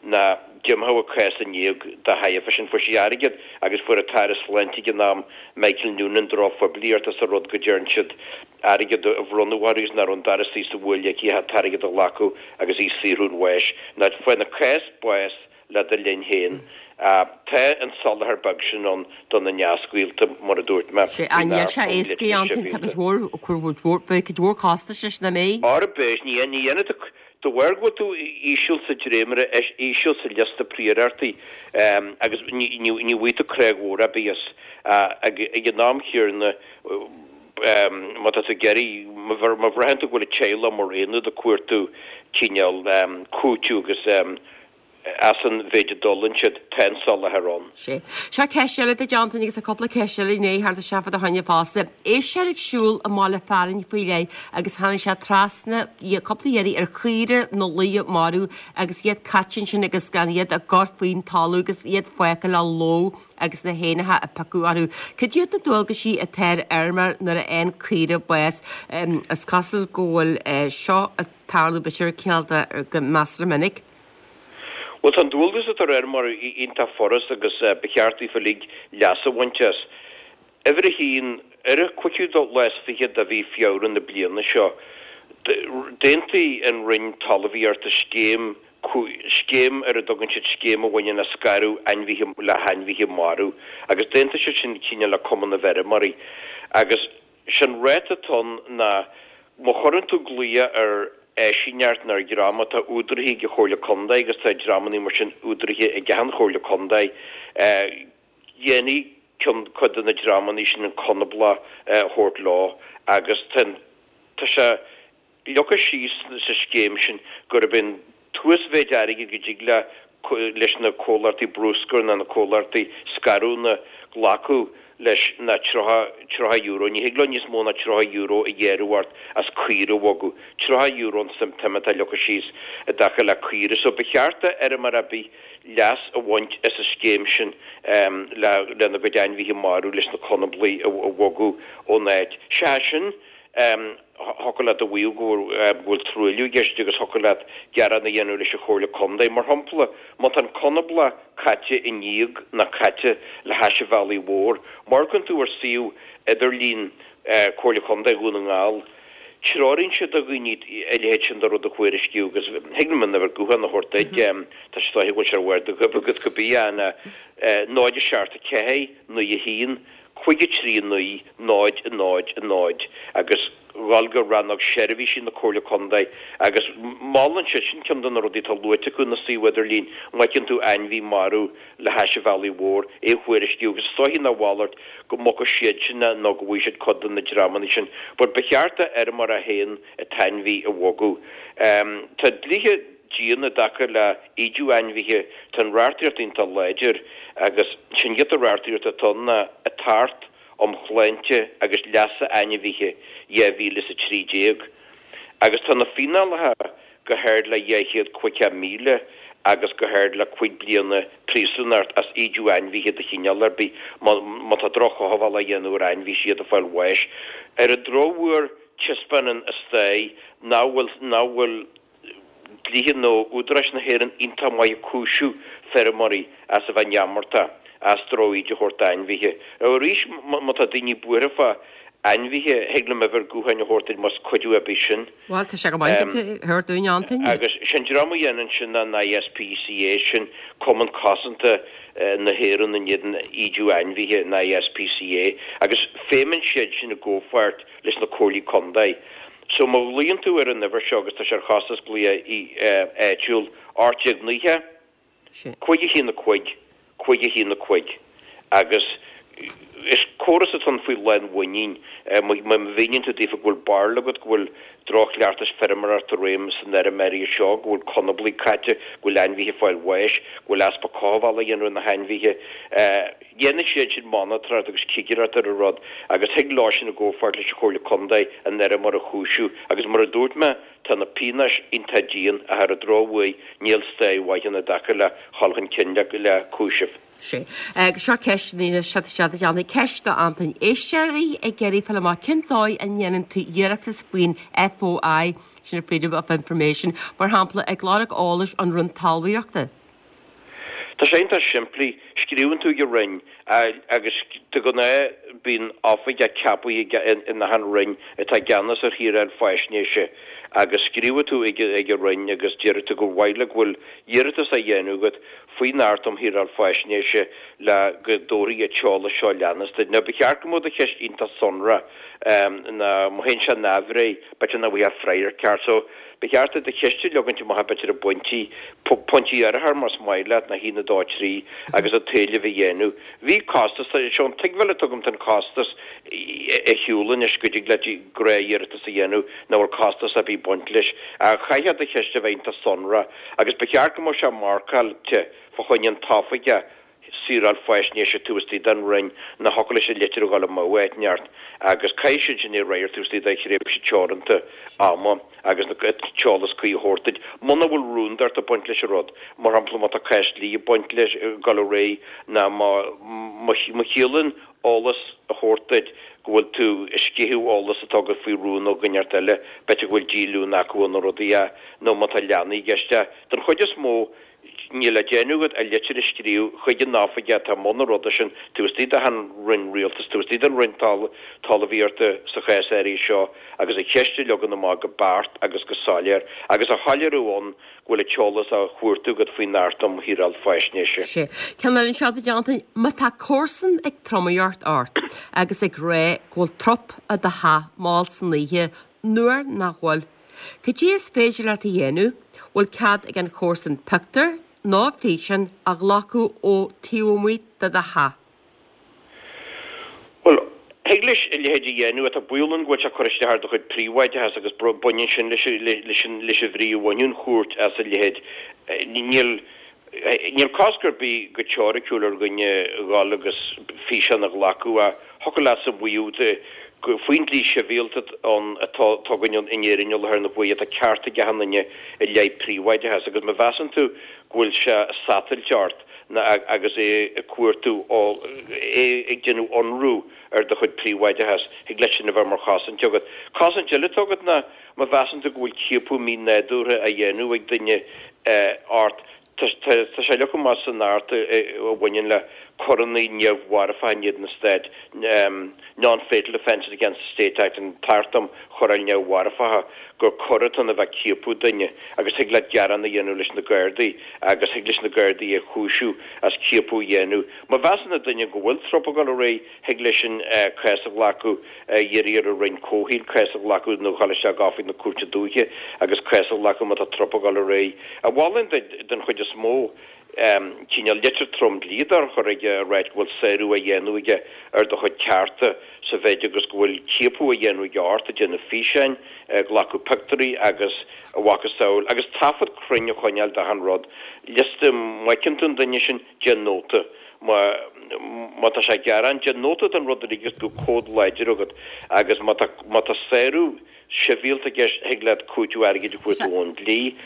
ná d'imeodh a cás in éag dá thairbhe sin. Fuair sí airgead agus fuair an tAire Sláinte ag an am, Michael Noonan, drochphoiblíocht as an rud go dtearn siad airgead a bhronnadh uirthi agus nach raibh an dara suí sa bhuaile aici ach an t-airgead a ghlacadh agus í saothrú chun bháis. Ná faigheann an cás bás le do linn féin. Tá an soláthar beag sin ann do na neasghaolta, mar a dúirt mé, Sé, faoin níl sé éasca a Antain, tá cuid mhór, cuid mhór, beidh cuid mhór costais leis na mé. Ara beidh, ní, ní dhéanfaidh tú, de bharr go bhfuil tú íseal sa dréimire, íseal sa liosta príorachtaí agus ní, ní, ní bhfaighidh tú creag mhór ar bith as. Ag, ag an am chéanna, má tá tú ag iarraidh, má bhraitheann tú go bhfuil an teaghlach mar aonad ag cuartú cineál cúiteamh agus as an mhéid a d'fhulaing siad, tá an soláthar ann. Sea. Seo ceist eile duit, Antaine, agus tá cúpla ceist eile i ndiaidh theacht isteach fá do choinne fosta. Éisc ag siúl i mbaile fearainn faoi leith agus tháinig sé trasna cúpla iarraidh ar chaoire na luaidhe marbh agus iad caite ansin agus gan iad á gcur faoin talamh agus iad fágtha le lobhadh agus na héanacha ag piocadh orthu. Cad iad na dualgaisí atá ar fheirmeoir nuair a fhaigheann caoire bás? Is cosúil go bhfuil seo ag tarlú b'fhéidir cineál de go measartha minic. Bhuel, tá an dualgas atá ar fheirmeoirí iontach furast agus ba cheart daofa uilig leas a bhaint as. Uimhir a haon, ar an cúigiú lá is fiche de mhí Feabhra na bliana seo, d'aontaigh an Roinn Talmhaíochta scéim, scéim ar a dtugann siad scéim a bhaineann le scaradh ainmhithe le hainmhithe marbh agus d'aontaigh siad sin cineál le Cumann na bhFeirmeoirí agus sé'n ráta atá ann ná má chuireann tú glaoch ar áisíneacht nó ar dhream atá údaraithe ag an Chomhairle Contae agus tá dreamanna mar sin údaraithe ag achan Chomhairle Contae, dhéanfaidh ceann, cuid de na dreamanna sin an conablach a thabhairt leo agus tá an, tá sé leagtha síos sa scéim sin gurb é an t-uasmhéid airgid go dtig le leis na comhlachtaí bruscair nó na comhlachtaí scarúna glacadh leis ná tríocha, tríocha euro. Ní thig leo níos mó ná tríocha euro a ghearradh ort as caora a bhogadh. Tríocha euro an tsuim atá leagtha síos i dtaca le caoire. So ba cheart do fheirmeoir ar bith leas a bhaint as an scéim sin le lena gcuid ainmhithe marbh leis na conablaigh a bhogadh ón áit. Seachas sin, thiocfadh leat a mhaíomh go bhfuil truailliú i gceist agus thiocfadh leat gearán a dhéanamh leis an Chomhairle Contae. Mar shampla, má tá an conablach caite i ndíog nó caite le hais an bhealaigh mhóir, má amharcann tú ar suíomh idirlín Comhairle Contae Dhún na nGall, treoraíonn siad do dhaoine a leithéid sin de rud a thuairisciú agus thig liom an uimhir gutháin a thabhairt duit, tá sé is dóiche go bhfuil sé ar bharr do ghoib agat cibé, náid a seacht a ceathair, naoi a haon. cúig a trí naoi náid a náid a náid agus dhul go rannóg seirbhísí na Comhairle Contae agus molann siad, sin ceann de na rudaí atá luaite acu ina suíomh idirlín, má fheiceann tú ainmhí marbh le hais an bhealaigh mhóir, é a thuairisciú agus is dóichí ná a mhalairt go mbogfaidh siad sin é nó go bhfaighidh siad cuid de na dreamanna sin. But ba cheart do fheirmeoir é féin an t-ainmhí a bhogadh. Tá dlíthe dian i dtaca le ídiú ainmhithe, tá an reachtaíocht iontach láidir agus sin giota reachtaíochta atá ann ná an tAcht um Shláinte agus Leasa Ainmhithe dhá mhíle is a trí déag agus tá na fíneálacha go hard le dhá chéad caoga míle agus go hard le cúig bliana príosúnacht as ídiú ainmhithe de chineál ar bith má tá droch-chothabháil á dhéanamh ar ainmhí is iad ag fáil bháis. Ar an drochuair taispeánann an stair nach bhfuil nach bhfuil dlíthe nó údaráis na hÉireann iontach maith ag cúiseamh feirmeoirí as a bheith neamordach, as droch-íde a thabhairt d'ainmhithe. Arís, má tá daoine buartha fá ainmhithe, thig liom uimhir gutháin a thabhairt duit más cuidiú ar bith sin. Bhuel, tá sé go maith agat a thabhairt dúinn, Antain. Agus sin dream a dhéanann sin ná an I S P C A, sin Cumann Cosanta na hÉireann in éadan ídiú ainmhithe, an I S P C A, agus feidhmíonn siad sin i gcomhpháirt leis na Comhairlí Contae. So má ghlaonn tú ar an uimhir seo, agus tá sé ar chostas glaoch áitiúil, ocht déag naocha, cúig a haon a cúig, cúig a haon a cúig, agus Is córas atá ann faoi lánmhuinín. Má mhíníonn tú daofa go bhfuil barúil agat go bhfuil droch-chleachtais feirmeoireachta i réim san fheirm áirithe seo, go bhfuil conablaigh caite, go bhfuil ainmhithe ag fáil bháis, go bhfuil easpa cothabhála á dhéanamh ar na hainmhithe, dhéanfaidh siad sin monatóireacht agus cigireacht ar an rud agus thig leo sin i gcomhpháirt leis an Chomhairle Contae an fheirmeoir a chúiseamh agus mar a dúirt mé, tá na pionóis iontach dian ach ar an drochuair níl stáidh mhaith ann i dtaca le dhul chun cinn le cúiseamh. Sea. Agus seo ceist anois, seo seo a Antaine, ceist do Antain. Éisteoirí ag iarraidh fáil amach cén dóigh a ndéanann tú iarratas faoin FOI, sin Freedom of Information, mar shampla ag lorg eolais ón Roinn Talmhaíochta. Tá sé iontach simplí, scríobhann tú ag an Roinn agus de ghnáth bíonn oifigeach ceaptha in achan Roinn atá i gceannas ar shaoráil faisnéise agus scríobhfaidh tú ag an Roinn agus déarfaidh tú gur mhaith leat go bhfuil iarratas á dhéanamh agat faoin Acht um Shaoráil Faisnéise le go dtabharfaí an t-eolas seo a leanas duit. Now ba cheart go mbeadh do cheist iontach sonrach nó má théann sé neamhréidh b'fhéidir nach bhfaighfeá freagra ceart. So ba cheart duit do cheist a leagaint amach b'fhéidir i bpointí, pointí áirithe más maith leat, nó a haon, a dó, a trí agus an t-éileamh a dhéanamh. Bhí costas, seo an tuigbheáil atá agam den chostas ar shiúl anois go dtig leat gnáth-iarratas a dhéanamh nach bhfuil costas ar bith ag baint leis. Ach chaithfeá do cheist a bheith iontach sonrach agus ba cheart go mbeadh sé marcáilte fá choinne an t-oifigeach saoráil faisnéise taobh istigh den Roinn nó thiocfadh leis an litir a dhul amú áit inteacht agus caithfidh siad sin é a fhreagairt taobh istigh de thréimhse teoranta ama agus an t-eolas cuí a thabhairt duit. Muna bhfuil rúndacht ag baint leis an rud, mar shampla má tá cás dlí ag baint leis, ag dul ar aghaidh nó má má chiallaíonn eolas a thabhairt duit go bhfuil tú ag sceitheadh eolas atá agat faoi rún ó dhuine inteacht eile, b'fhéidir go bhfuil díolúine acu nó rudaí, nó má tá leanaí i gceist. Den chuid is mó, níl le déanamh agat ach litir a scríobh chuig an oifigeach atá i mbun an ruda sin taobh istigh d'achan roinn rialtais, taobh istigh den Roinn Talmhaíochta sa chás áirithe seo agus an cheist a leagan amach go beacht agus go soiléir agus a shoiléiriú ann go bhfuil an t-eolas á chuartú agat faoin Acht um Shaoráil Faisnéise. Sea. Ceann eile anseo a Antain, má tá comharsan ag tromaíocht ort agus ag rá go bhfuil trup i do theach mall san oíche nuair nach bhfuil, Cad é is féidir leat a dhéanamh? Bhfuil cead ag an chomharsan pictiúr nó físeán a ghlacadh ó taobh amuigh de do theach? Bhuel, thig leis a leithéid a dhéanamh. Tá baol ann go bhfuil sé ag cur isteach ar do chuid príobháideachas agus baineann sin leis leis an bhrí a bhainfeadh an chúirt as a leithéid. Níl Níl cosc ar bith go teoiriciúil ar dhuine dhul agus físeán a ghlacadh ach thiocfadh leatsa maíomh faoin dlí sibhialta ann atá againn in Éirinn i láthair na huaire tá ceart ag achan duine i leith príobháideachas agus má mheasann tú go bhfuil sé ag satailt ort nó agus é ag cuartú é ag déanamh ionradh ar do chuid príobháideachas thig leis sin a bheith mar chosaint agat. Cosaint eile atá agat ná má mheasann tú go bhfuil ciapadh mí-nádúrtha á dhéanamh ag duine ort, tá sé leagtha amach san Acht a bhaineann le coireanna neamh-mharfacha in éadan an Stáit, Non-Fatal Offences Against the State Act, an tAcht um Choireáil Neamh-Mharfacha, gur coir atá ann a bheith ag ciapadh duine agus thig leat gearán a dhéanamh leis na Gardaí agus thig leis na Gardaí é a chúiseamh as ciapadh a dhéanamh. Má mheasann an duine go bhfuil trup ag dul ar aghaidh, thig leisean cás a ghlacadh, iarraidh ar an Roinn Comhshaoil cás a ghlacadh nó dhul isteach go oifig na Cúirte Dúiche agus cás a ghlacadh má tá trup ag dul ar aghaidh. A mholfainn duit, den chuid is mó, cineál litir trom dlí a chur chuige ag ráit go bhfuil sárú á dhéanamh aige ar do chuid cearta sa mhéid agus go bhfuil ciapadh á dhéanamh aige ort, ag déanamh físeáin, ag glacadh pictiúirí agus a mhacasamhail agus taifead cruinn a choinneáil d'achan rud. Liosta, má fheiceann tú an duine sin, déan nóta. Má má tá sé ag gearán, déan nóta den rud uilig agus bíodh comhad láidir agat agus má tá má tá sárú sibhialta i gceist, thig leat cúiteamh airgid a chuartú ón dlí.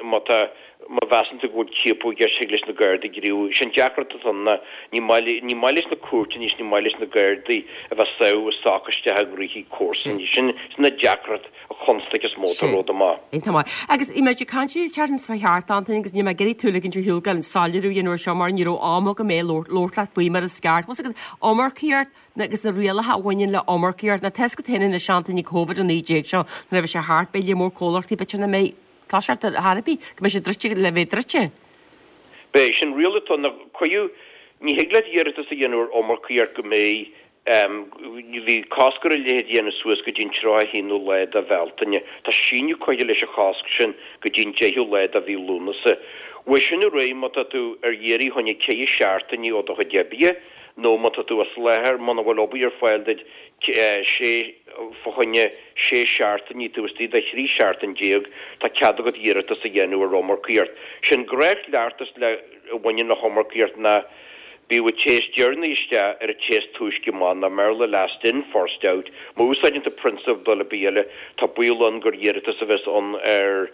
Má tá má mheasann tú go bhfuil ciapadh i gceist, thig leis na Gardaí gníomhú. Sé an deacracht atá ann ná ní maith ní maith leis na cúirteanna is ní maith leis na Gardaí a bheith ag sábh a soc isteach i ngnóthaí comharsan. Sin sin an deacracht an chonstaic is mó atá Sin. romhat amach. Iontach maith. Agus bhí muid ag caint an tseachtain seo thart, Antaine, agus níl mé ag iarraidh tú a ligint ar shiúl gan soiléiriú a dhéanamh air seo mar ní raibh am agam é labhairt labhairt leat faoi mar is ceart. Bhfuil a fhios agat iomarcaíocht agus na rialacha a bhaineann le iomarcaíocht. Now tá a fhios agat féin anois Antaine Covid a naoi déag seo nuair a bheidh sé thart beidh lear mór comhlachtaí b'fhéidir nach mbeidh toiseacht ar chor ar bith go mbeidh sé druidte le bheith druidte. Beidh sin riail atá ann cuireadh ní thig leat iarratas a dhéanamh ar iomarcaíocht go mbeidh Bhí cosc ar a leithéid a dhéanamh suas go dtí an tríocha a haonú lá de Bhealtaine. Tá síneadh curtha leis an chosc sin go dtí an deichiú lá de mhí Lúnasa. Uaidh sin ar aghaidh, má tá tú ar iarraidh fá choinne ceithre seachtainí ó do chuid oibre nó má tá tú as láthair, muna bhfuil obair ar fáil duit sé fá choinne sé seachtainí taobh istigh de thrí seachtain déag, tá cead agat iarratas a dhéanamh ar iomarcaíocht. Sé'n gnáthchleachtas le a bhaineann le hiomarcaíocht ná bíodh an té is deireanaí isteach ar an té is túisce amach, nó i mBéarla last in, first out. Má úsáideann tú prionsabal ar bith eile, tá baol ann gur iarratas a bheas ann ar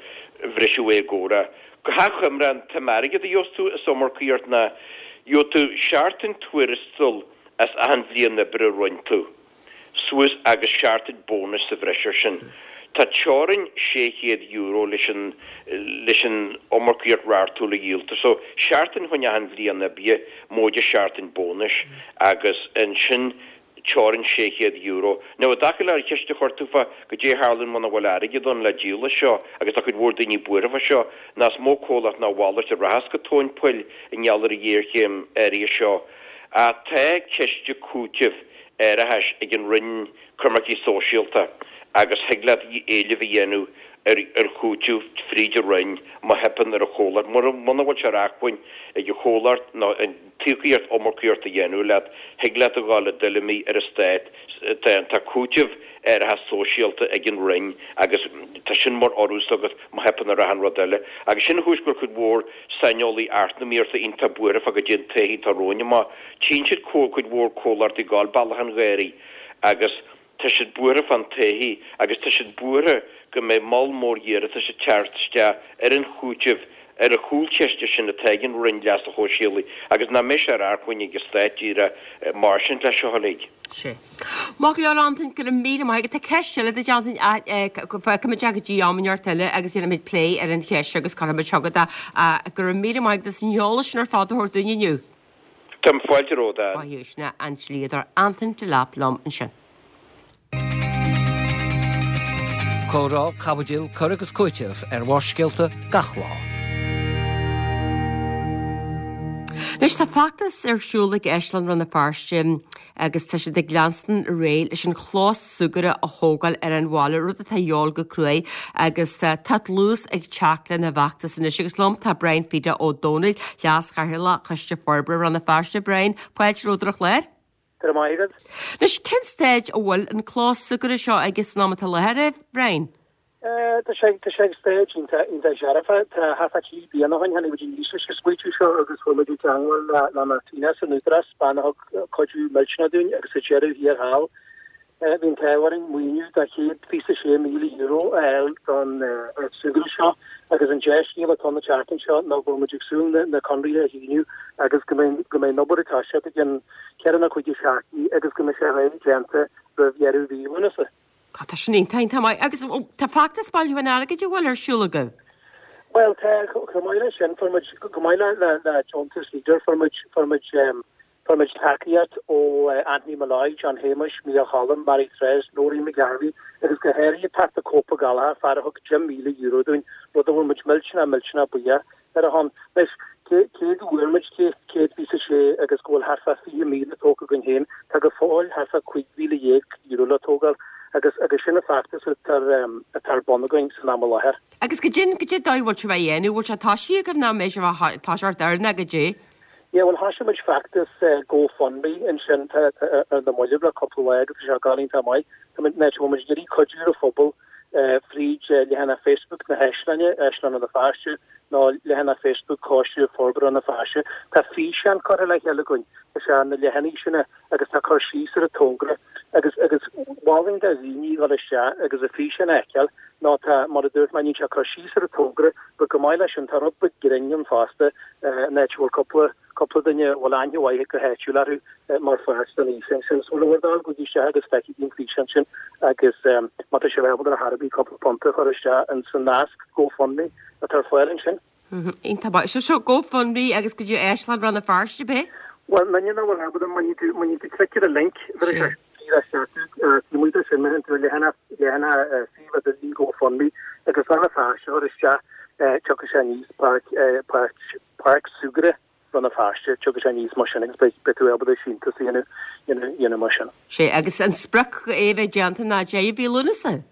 bhriseadh éagóra. Go hachoimre, an tsuim airgid a gheobhas tú as iomarcaíocht ná gheobhaidh tú seachtain tuarastail as achan bhliain oibre a rinne tú suas agus seachtain bónais sa bhreis air sin. Tá teorainn sé chéad euro leis an leis an iomarcaíocht reachtúil a dhíoltar. So, seachtain fá choinne achan bhliain oibre, móide seachtain bónais agus ansin teorainn sé chéad euro. Now, i dtaca le an cheist a chuir tú fá goidé a tharlaíonn muna bhfuil airgead ann le díol as seo, agus tá cuid mhór daoine buartha fá seo, ná is mó comhlacht ná a mhalairt a rachas go tóin poill i ngeall ar an ghéarchéim áirithe seo. Ach tá ciste cúitimh árachais ag an Roinn Coimircí Sóisialta agus thig leat éileamh a dhéanamh ar ar chúiteamh fríd an Roinn má theipeann ar an chomhlacht. Muna bhfuil sé ar acmhainn ag an chomhlacht nó an t-íocaíocht iomarcaíocht a dhéanamh leat, thig leat a dhul i dtuilleamaí ar an Stát. Tá cúiteamh árachas sóisialta ag an Roinn agus tá sin mar urrús agat má theipeann ar achan rud eile. Agus sin an chúis go bhfuil cuid mhór saineolaí eacnamaíochta iontach buartha fá goidé an todhchaí atá romhainn amach. Tchíonn siad cuid mhór comhlachtaí ag gabháil bealach an gháirí agus tá siad buartha fán todhchaí agus tá siad buartha go mbeidh moll mór iarratais ag teacht isteach ar an chúiteamh ar an chúlchiste sin atá ag an Roinn Leasa Shóisialaigh agus nach mbeidh sé ar acmhainn ag an Stát díreach mairstint leis seo uilig. Sea. Maith go leor Antain, go raibh míle maith agat. Tá ceist eile duit Antain, fágfaimid é go dtí am inteacht eile agus déanfaimid plé ar an cheist agus cuirfimid chugat é. Go raibh míle maith agat as an eolas sin ar fad a thabhairt dúinn inniu. Tá fáilte romhat, a Ann. Maith thú, sin é an dlíodóir Antain Delap liom ansin. Comhrá, caibidil, cur agus cúiteamh ar Bharrscéalta gach lá. Anois tá feachtas ar siúl ag Áislann Rann na Feirste agus tá siad ag leanstan ar aghaidh leis an chlós súgartha a thógáil ar an bhaile, rud atá a dhíobháil go cruaidh agus tá dlús ag teacht lena bhfeachtas anois agus liom tá Brian Pheda Ó Domhnaill, Leas-Chathaoirleach Choiste Forbartha Rann na Feirste. Brian, fáilte romhat ar an chlár. Go raibh maith agat. Anois, cén staid a bhfuil an clós súgartha seo aige san am atá i láthair, a Bhriain? Tá sé tá sé ag staid iontach iontach dearfa. Tá thart fá trí bliana ó shin tháinig muid aníos leis an smaoitiú seo agus fuair muid i dteangmháil le le Martina san Údarás, bean a thug cuidiú millteanach dúinn agus sa deireadh thiar thall Bhí an t-ádh orainn maoiniú de chéad fiche is a sé míle euro a fháil don áit súgartha seo agus an dea-scéal atá ann an tseachtain seo ná go bhfuil muid ag súil na conarthaí a shíniú agus go mbeidh go mbeidh an obair ag toiseacht i gcionn ceithre nó cúig seachtainí agus go mbeidh sé réidh déanta roimh dheireadh mhí Lúnasa. God, tá sin iontach, iontach maith. Agus tá feachtas bailiúcháin airgid an bhfuil ar siúl agaibh? Bhuel, tá, chomh maith leis sin, fuair muid, chomh maith le le deontas Leader, fuair muid, fuair muid, Fuair muid tacaíocht ó Anthony Molloy, John Shéamuis, Mícheál Choilm, Mary Therese, Noreen McGarvey agus go háirithe Pat the Cope Ó Gallchóir, fear a thug deich míle euro dúinn, rud a bhfuil muid millteanach, millteanach buíoch ar a shon. Anois, cé cé go bhfuair muid céad céad fiche a sé agus go bhfuil thart fá fiche míle tógtha againn féin, tá go fóill thart fá cúig mhíle dhéag euro le tógáil agus agus sin an feachtas atá atá ar bun againn san am i láthair. Agus goidé goidé an dóigh a bhfuil sibh á dhéanamh, bhfuil sé toisithe agaibh nó an mbeidh sibh á toiseacht air nó goidé? Yeah, bhuel, thoisigh muid feachtas GoFundMe ansin ar na mallaibh le cúpla lá agus tá sé ag gabháil iontach maith. Tá muid, bhfuil muid ag iarraidh cuidiú ar an phobal fríd leathanach Facebook na hÁislainne, Áislann Rann na Feirste, nó leathanach Facebook Choiste Forbartha Rann na Feirste. Tá físeán curtha le chéile againn, tá sé ar na leathanaigh sin agus tá cur síos ar an togra agus agus mholfainn do dhaoine dhul isteach agus an físeán a fheiceáil nó tá, mar a dúirt mé, níl sé cur síos ar an togra but chomh maith leis sin tá rud beag grinn ann fosta an áit a bhfuil cúpla cúpla duine a bhfuil aithne mhaith go háitiúil orthu mar pháirt den fhíseán sin. So le bhur dtoil gabhaigí isteach agus feicigí an físeán sin agus má tá sibh ábalta ar chor ar bith cúpla punt a chur isteach in san nasc GoFundMe atá ar fáil ansin. Iontach maith. So seo GoFundMe agus go dtí Áislann Rann na Feirste, ab é? Bhuel, muna bhfuil ábalta, má níonn tú, má níonn tú clic ar an link, bheir sé díreach isteach tú, taobh amuigh de sin, má théann tú ar leathanach, leathanach suíomh idirlín GoFundMe agus Rann na Feirste a chur isteach, tiocfaidh sé aníos, Páirc, Páirc, Páirc Súgartha Rann na Feirste, tiocfaidh sé aníos mar sin agus beidh, beidh tú ábalta síntiús a dhéanamh, dhéanamh, dhéanamh mar sin. Sea, agus an sprioc é a bheith déanta ná deireadh mhí Lúnasa?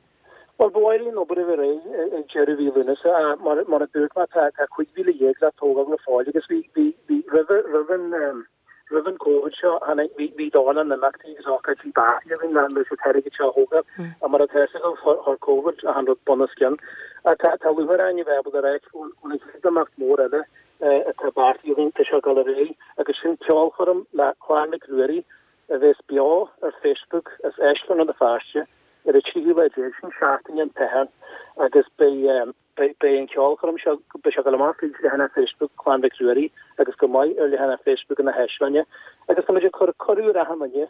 Bhuel, ba mhaith linn an obair a bheith réidh ag deireadh mhí Lúnasa ach mar mar a dúirt mé tá tá cúig mhíle dhéag le tógáil go fóill agus bhí bhí bhí roimh roimh an Roimh an Covid seo, tháinig, bhí, bhí dornán imeachtaí agus ócáidí beartaithe againn le, leis an t-airgead seo a thógáil. Ach mar atá a fhios agaibh, chuir, chuir Covid achan rud bunoscionn. Ach tá, tá lúcháir orainn a bheith ábalta a ráit go bhfuil, go bhfuil an chéad imeacht mór eile atá beartaithe againn, tá sé ag dul ar aghaidh agus sin ceolchoirm le Clann Mhic Ruairí a bheas beo ar Facebook as Áislann Rann na Feirste ar an tríú lá déag, sin Seachtain an tSathairn, agus beidh, beidh an cheolchoirm seo, beidh sé ag dul amach fríd leathanach Facebook Clann Mhic Ruairí agus chomh maith ar leathanach Facebook na hÁislainne agus tá muid ag cur cuireadh ar achan duine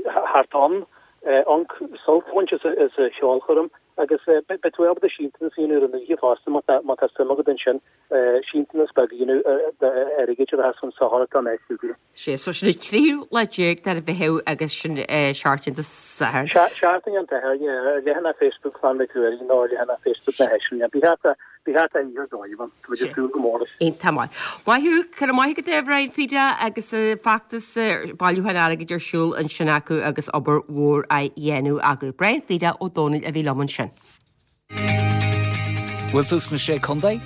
theacht ann, ionc sult a bhaint as an cheolchoirm agus beidh tú ábalta síntiús a dhéanamh ar an oíche fosta má tá má tá suim agat ansin, síntiús beag a dhéanamh d'airgead a bheas chun sochair don áit. Sé so sin an tríú lá déag de Mheitheamh agus sin Seachtain an tSathairn. Seachtain an tSathairn, yeah, ar leathanach Facebook Clann Mhic Ruairí nó ar leathanach Facebook na hÁislainne. Bí thart bí thart ar oíche dóibh ann, tá muid ag súil go mór leis. Iontach maith. Maith thú, go raibh maith agat a Bhrian Pheter agus feachtas bailiúcháin airgid ar siúl ansin acu agus obair mhór á dhéanamh acu. Brian Pheter Ó Dónaill a bhí liom ansin. Bhfuil tú sna Sé Contae?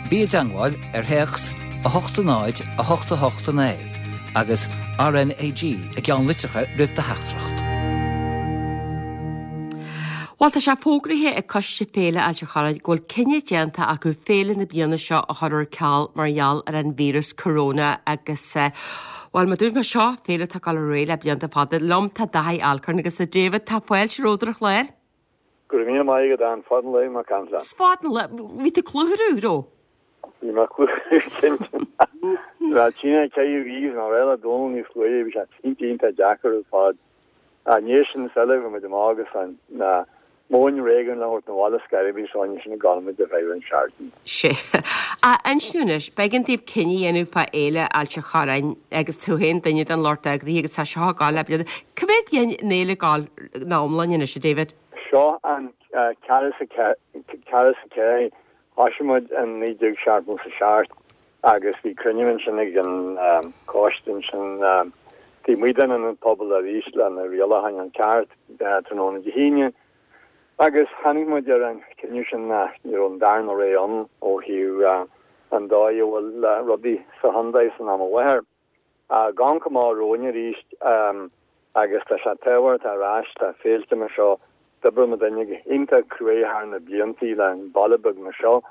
Bí i dteangmháil ar théacs a hocht a náid a hocht a hocht a naoi agus RNAG i gceannlitreacha roimh do theachtaireacht. Bhuel, tá sé fógraithe ag Coiste Féile Ailt an Chorráin go bhfuil cinneadh déanta acu féile na bliana seo a chur ar ceal mar gheall ar an víreas corona agus bhuel, mar dúirt mé seo féile atá ag dul ar aghaidh le blianta fada. Liom tá Daithí Alcorn agus a David tá fáilte romhat ar an chlár. Go raibh míle maith agat Ann, fad an lae mar caint. Fad an lae, bhí tú cluthar raibh? Bhí mé cluthar cinnte. Bhí tine ceithre mhí ná réile Dónal níos luaithe, bhí sé iontach iontach deacair ar fad. Ní sin eile bhí muid amach agus an na móin réigean le thabhairt na bhaile scairibí seo sin gan muid a bheith an seachtain. Sé. A ansin anois, b'éigean daoibh cinneadh a dhéanamh fá Fhéile Ailt an Chorráin agus tú féin duine den lucht eagraithe agus tá seo ag gabháil le blianta. Cá mhéad bliain an fhéile ag gabháil ina iomláine anois, a David? Seo an ceathair is a ceathair thosaigh muid in naoi déag seachtó a seacht agus bhí cruinniú ansin ag an coiste ansin taobh amuigh den an pobal arís le na rialacháin an ceart tráthnóna Dé hAoine agus tháinig muid ar an cinneadh sin nach ní raibh an darna rogha ann ó thaobh an dóigh a bhfuil rudaí sa chontae san am i láthair. Gan go maith romhainn arís agus tá sé tábhachtach ar ais tá féilte mar seo d'oibrigh muid duine go hiontach cruaidh thar na blianta le an baile beag mar seo.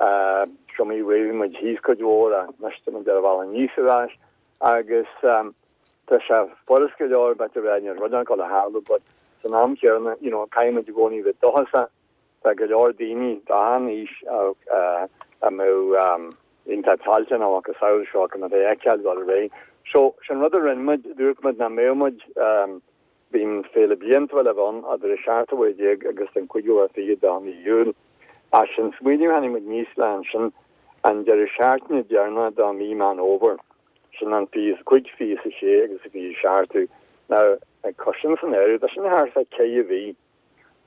Seo mí bhí muid thíos cuid mhór anois tá muid ar an bhealach aníos ar ais agus tá sé furast go leor b'fhéidir rá níl rud ann le tarlú but san am céanna you know caithfidh muid i gcónaí bheith dóchasach tá go leor daoine d'achan aois a mbeadh iontach toilteanach agus samhail seo go mbeadh feiceáil dul ar aghaidh. So sin rud a rinne muid dúirt muid nach mbeadh muid bíonn féile bliantúil a bheith ann idir a seacht uair déag agus an cúigiú uair fiche de mhí Iúil. As sin smaoineamh tháinig muid aníos le ansin an deireadh seachtaine deireanach de mhí Meán Fhómhair. Sin an fiche is a cúig, fiche is a sé agus a fiche a seacht. Now ag cur sin san áireamh, tá sin thart fá ceithre mhí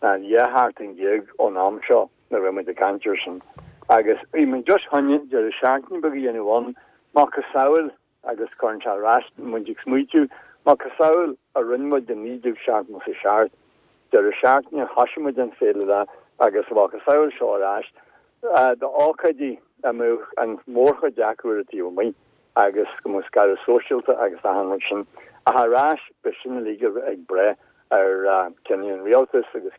ná dhá sheachtain déag ón am seo nuair a bhí muid ag caint air sin. Agus bhí muid just chun deireadh seachtaine beag a dhéanamh ann, macasamhail agus cuireann sé ar ais muid ag smaoitiú, macasamhail a rinne muid i naoi déag seachtó a seacht, deireadh seachtaine thosaigh muid an féile le agus macasamhail seo ar ais d'ócáidí a mbeadh an mhórchuid acu ar an taobh amuigh agus go mbeadh scaradh sóisialta agus achan rud sin. Ach ar ais beidh sin uilig ag brath ar cinneadh an rialtais agus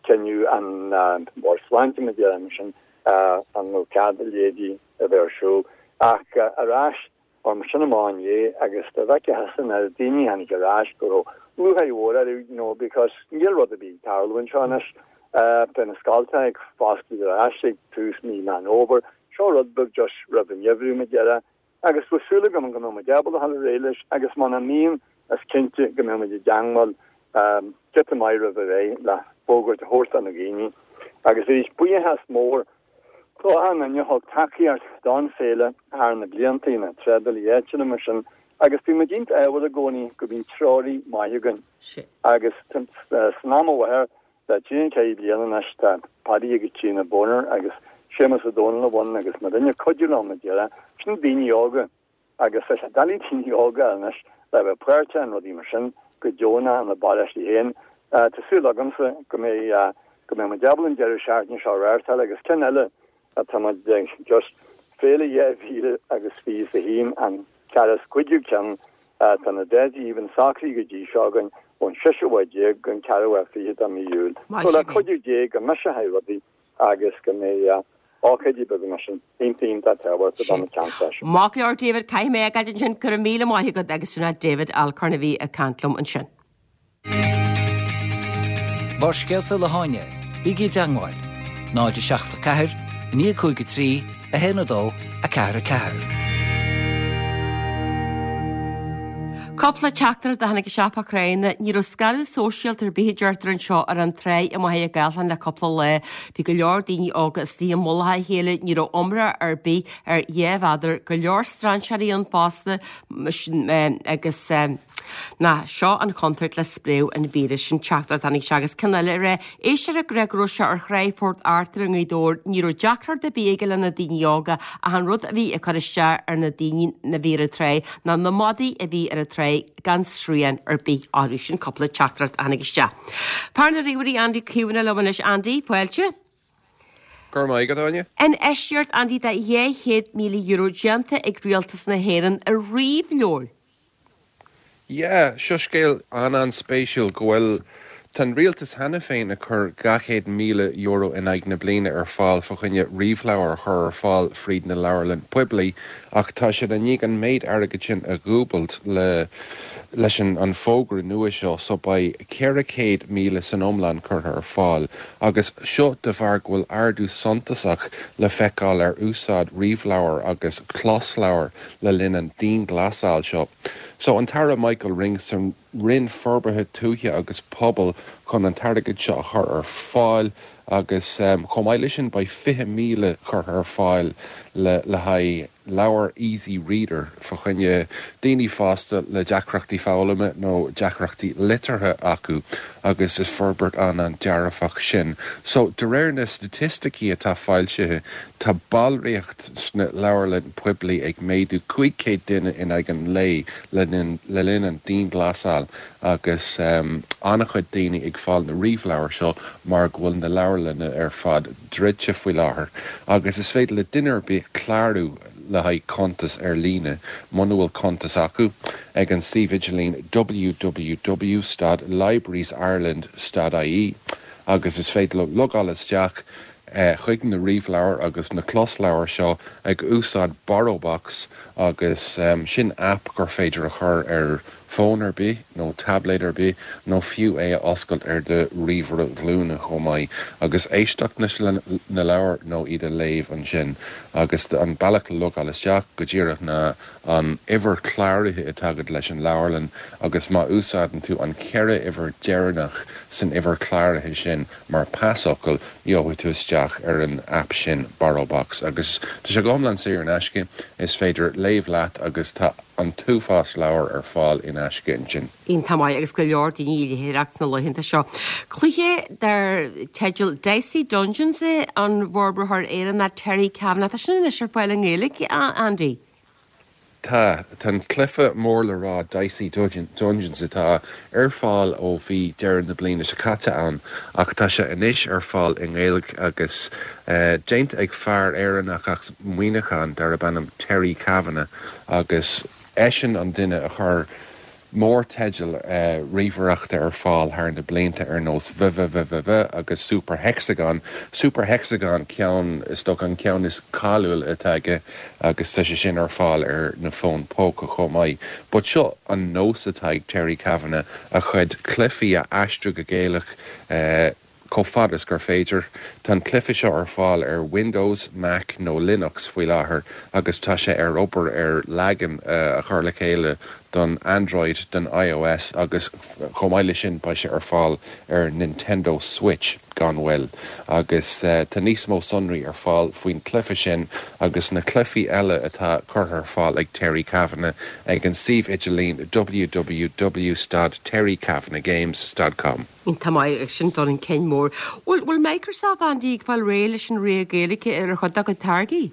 cinneadh an Bhord Sláinte mar déarfainn sin an bhfuil cead a leithéidí a bheith ar siúl. Ach ar ais orm sin amach inné agus dá bhfeicfeá thusa na daoine a tháinig ar ais go raibh lúcháir mhór orthu you know because níl rud ar bith ag tarlú anseo anois. Tá na scoltacha ag foscailt ar ais ag tús mí Meán Fhómhair. Seo rud beag just roimh an ngeimhreadh mar déarfá. Agus tá súil agam go mbeidh muid ábalta dul ar aghaidh leis agus muna mbíonn is cinnte go mbeidh muid i dteangmháil giota maith roimh ré le fógairt a thabhairt do na daoine. Agus arís buíochas mór do achan duine a thug tacaíocht don féile thar na blianta, na trádálaí áitiúla mar sin, agus bhí muid iontach ádhúil i gcónaí go mbíonn treoraí maith againn. Agus san am i láthair le trí nó ceithre bliana anois tá Paddy agus Tríona Boner agus Séamus Ó Dónaill ann agus muid ag cuidiú leo mar déarfá, sin daoine óga agus tá sé doiligh daoine óga anois le bheith páirteach in rudaí mar sin go deonach ina bparóistí féin. Tá súil agamsa go mbeidh go mbeidh muid ábalta an deireadh seachtaine seo a reáchtáil agus ceann eile atá muid just féile dhá mhíle agus fiche is a haon an Ceathrú is cúigiú ceann, tá na dátaí even socraithe go dtí seo againn ón seisiú lá déag go an ceathrú lá fiche de mí Iúil. So le cuidiú Dé go mbeidh sé high rudaí agus go mbeidh ócáidí beaga mar sin iontach iontach tábhachtach don cheantar seo. Maith go leor David, caithfidh mé a ghabháil ansin, go raibh míle maith agat agus sin é David Alcorn a bhí ag caint liom ansin. Barrscéalta le hÁine, bígí i dteagmháil, náid a seacht a ceathair, a naoi cúig a trí, a haon a dó, a ceathair a ceathair. Cúpla teachtaireacht a tháinig isteach fá choinne. Ní raibh scaradh sóisialta ar bith a deirtear anseo ar an tráigh i Machaire Gathlán le cúpla lá. Bhí go leor daoine óga istigh i mullach a chéile, ní raibh iomrá ar bith ar dhá mhéadar, go leor strainséirí ann fosta agus nach seo an chontúirt le spréadh an víris. Sin teachtaireacht a tháinig isteach agus ceann eile ag rá éisteoir ag rá go raibh sé ar thráigh Phort Arthur i nGaoth Dobhair, ní raibh deacracht ar bith aige le na daoine óga ach an rud a bhí ag cur isteach ar na daoine a bhí ar an tráigh ná na madaí a bhí ar an tráigh gan srian ar bith orthu. Sin cúpla teachtaireacht a tháinig isteach. Fear na ríomhairí Andy Kavanagh liom anois Andy, fáilte. Go raibh maith agat, Áine. Infheistíocht Andy de dhá chéad míle euro déanta ag Rialtas na hÉireann i ríomhleabhair. Yeah, seo scéal an-an-spéisiúil go bhfuil Tá an rialtas cheana féin ag cur dhá chéad míle euro in aghaidh na bliana ar fáil fá choinne ríomhleabhair a chur ar fáil fríd na leabharlann poiblí ach tá siad i ndiaidh an méid airgid sin a dhúbailt le leis an an fógra nua seo so beidh ceithre chéad míle san iomlán curtha ar fáil agus seo de bharr go bhfuil ardú suntasach le feiceáil ar úsáid ríomhleabhar agus closleabhar le linn an dianghlasáil seo. So an tAire Michael Ring san Roinn Forbartha Tuaithe agus Pobail chun an t-airgead seo a chur ar fáil agus chomh maith leis sin beidh fiche míle curtha ar fáil le le haghaidh leabhar Easy Reader fá choinne daoine fásta le deacrachtaí foghlama nó deacrachtaí liteartha acu agus is forbairt an-an-dearfach sin. So de réir na staitisticí atá foilsithe tá ballraíocht sna leabharlann poiblí ag méadú cúig chéad duine in aghaidh an lae le linn le linn an dianghlasáil agus an-chuid daoine ag fáil na ríomhleabhar seo mar go bhfuil na leabharlanna ar fad druidte faoi láthair agus is féidir le duine ar bith clárú le haghaidh cuntas ar líne muna bhfuil cuntas acu ag an suíomh idirlín www stad librariesireland stad ie agus is féidir leo logáil isteach chuig na ríomhleabhair agus na closleabhair seo ag úsáid Borrowbox agus sin aip gur féidir a chur ar fón ar bith nó tablet ar bith nó fiú é a oscailt ar do ríomhaire glúine chomh maith agus éisteacht leis na leabhair nó iad a léamh ansin agus an bealach le logáil isteach go díreach ná an uimhir chláraithe atá agat leis an leabharlann agus má úsáideann tú an ceithre uimhir deireanach san uimhir chláraithe sin mar pasfhocal gheobhaidh tú isteach ar an aip sin Borrowbox agus tá sé go hiomlán saor in aisce is féidir léamh leat agus tá an t-uafás leabhar ar fáil in aisce ansin. Iontach maith agus go leor daoine ag léitheoireacht sna laethanta seo. Cluiche dar teideal Dicey Dungeons an bhforbraitheoir Éireannach Terry Kavanagh. Tá sin anois ar fáil i nGaeilge, Andy? Tá, tá an cluiche mór le rá Dicey Dungeons atá ar fáil ó bhí deireadh na bliana seo caite ann ach tá sé anois ar fáil i nGaeilge agus déanta ag fear Éireannach as Muineachán darb ainm Terry Kavanagh agus eisean an duine a chuir mórteidil ríomhaireachta ar fáil thar na blianta ar nós VVVVV agus Super Hexagon. Super Hexagon ceann is dócha an ceann is cáiliúil atá aige agus tá sé sin ar fáil ar na fóin póca chomh maith. But seo an nós atá ag Terry Kavanagh a chuid cluichí a aistriú go Gaeilge chomh fada is gur féidir. Tá an cluiche seo ar fáil ar Windows, Mac nó Linux faoi láthair agus tá sé ar obair ar leagan a chur le chéile don Android, don iOS agus chomh maith leis sin beidh sé ar fáil ar Nintendo Switch gan mhoill. Agus tá níos mó sonraí ar fáil faoin cluiche sin agus na cluichí eile atá curtha ar fáil ag Terry Kavanagh ag an suíomh idirlín www stad terrykavanaghgames stad com. Iontach maith agus sin dul chun cinn mór. Bhfuil bhfuil Microsoft Andy ag fáil réidh leis an rogha Gaeilge ar a chuid dá gcuid táirgí?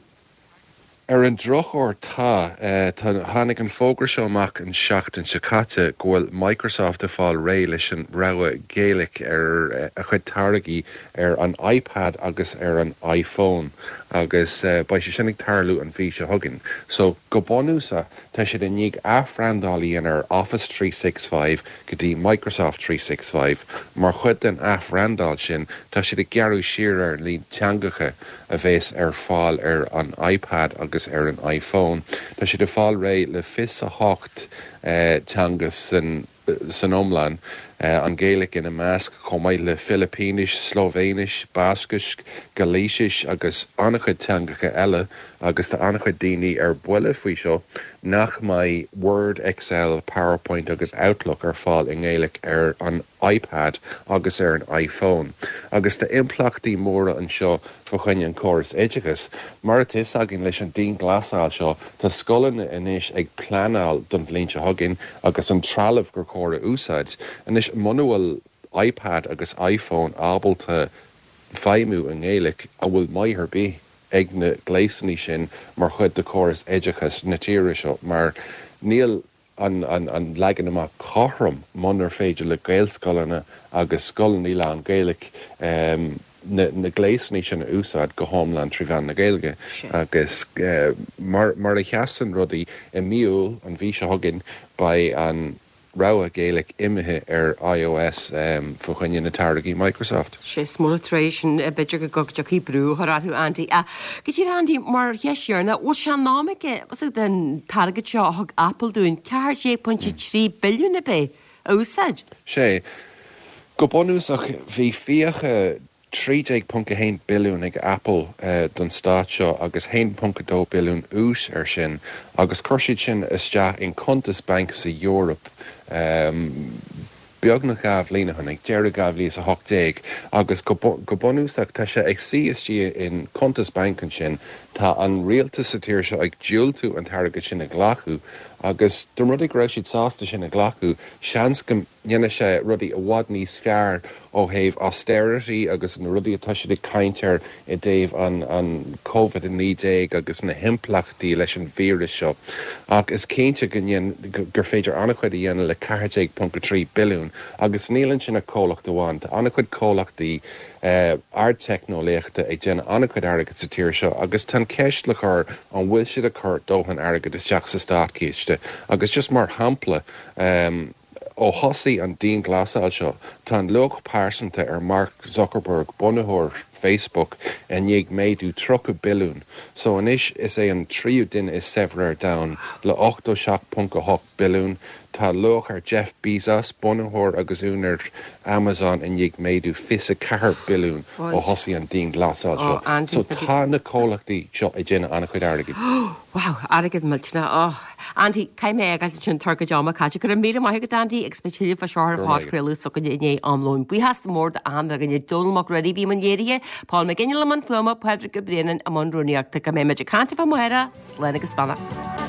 Ar an drochuair tá tá tháinig an fógra seo amach an seachtain seo caite go bhfuil Microsoft ag fáil réidh leis an rogha Gaelic ar a chuid táirgí ar an iPad agus ar an iPhone agus beidh sé sin ag tarlú an mhí seo chugainn. So go bunúsach tá siad i ndiaidh athbhrandáil a dhéanamh ar Office three six five go dtí Microsoft three six five. Mar chuid den athbhrandáil sin tá siad ag gearradh siar ar an líon teangacha a bheas ar fáil ar an iPad agus ar an iPhone. Tá siad ag fáil réidh le fiche a hocht teanga san san iomlán, an Ghaeilge ina measc, chomh maith le Filipínis, Slóivéinis, Bascais, Gailísis agus an-chuid teangacha eile agus tá an-chuid daoine ar buile faoi seo nach mbeidh Word, Excel, PowerPoint agus Outlook ar fáil i nGaeilge ar an iPad agus ar an iPhone. Agus tá impleachtaí móra anseo fá choinne an córas oideachais. Mar atá fhios againn leis an dianghlasáil seo, tá scoileanna anois ag pleanáil don bhliain seo chugainn agus an trealamh gur chóir a úsáid. Anois muna bhfuil iPad agus iPhone ábalta feidhmiú i nGaeilge, an bhfuil maith ar bith ag na gléasanna sin mar chuid de chóras oideachais na tíre seo mar níl an an leagan amach cothrom munar féidir le Gaelscoileanna agus scoileanna lán-Ghaeilge na na gléasanna sin a úsáid go hiomlán trí mheán na Gaeilge agus mar mar a sheasann rudaí i mí Iúil an mhí seo chugainn beidh an rogha Gaelic imithe ar iOS fá choinne na táirgí Microsoft. Sé is mór an trua sin b'fhéidir go dtiocfaidh brú a chur orthu Andy. Go díreach Andy mar cheist dheireanach, bhfuil sé in am aige den t-airgead seo a thug Apple dúinn, ceathair déag pointe trí billiún ab é, a úsáid? Sé. Go bunúsach bhí fiacha trí déag ponc a haon billiún ag Apple don stát seo agus haon ponc a dó billiún ús air sin agus chuir siad sin isteach in cuntas bainc sa Eoraip beagnach dhá bhliain ó shin, ag deireadh dhá mhíle is a hocht déag agus go bunúsach tá sé ag suí istigh in cuntas bainc ansin. Tá an rialtas sa tír seo ag diúltú an t-airgead sin a ghlacadh agus dá mba rud é go raibh siad sásta sin a ghlacadh, seans go ndéanfadh sé rudaí i bhfad níos fearr ó thaobh austerity agus na rudaí atá siad ag caint air i dtaobh an an Covid a naoi déag agus na himpleachtaí leis an víreas seo. Ach is cinnte go ndéan gur féidir an-chuid a dhéanamh le ceathair déag ponc a trí billiún agus níl ansin ach comhlacht amháin. Tá an-chuid comhlachtaí ardteicneolaíochta ag déanamh an-chuid airgid sa tír seo agus tá an cheist le cur an bhfuil siad ag cur dóthain airgid isteach sa státchiste agus just mar shampla ó thosaigh an dianghlasáil seo tá an luach pearsanta ar Mark Zuckerberg, bunaitheoir Facebook, i ndiaidh méadú tríocha billiún so anois is é an tríú duine is saibhre ar domhan le ochtó seacht ponc a hocht billiún. Tá luach ar Jeff Bezos, bunaitheoir agus úinéir Amazon i ndiaidh méadú fiche a ceathair billiún ó thosaigh an dianghlasáil seo. So tá na comhlachtaí seo ag déanamh an-chuid airgid. Wow, airgead millteanach. Oh, Andy, caithfidh mé a fhágáil ansin tá ár gcuid ama caite. Go raibh míle maith agat Andy agus beidh tuilleadh fá seo ar phodchraoladh s'againne i ndiaidh am lóin. Buíochas mór d'achan duine Dónal Mac Ruairí a bhí i mbun léirithe, Paul McGinley i mbun fuaime, Pádraig Ó Braonáin i mbun rúnaíochta. Go mbeidh muid ag caint libh amárach, slán agus beannacht.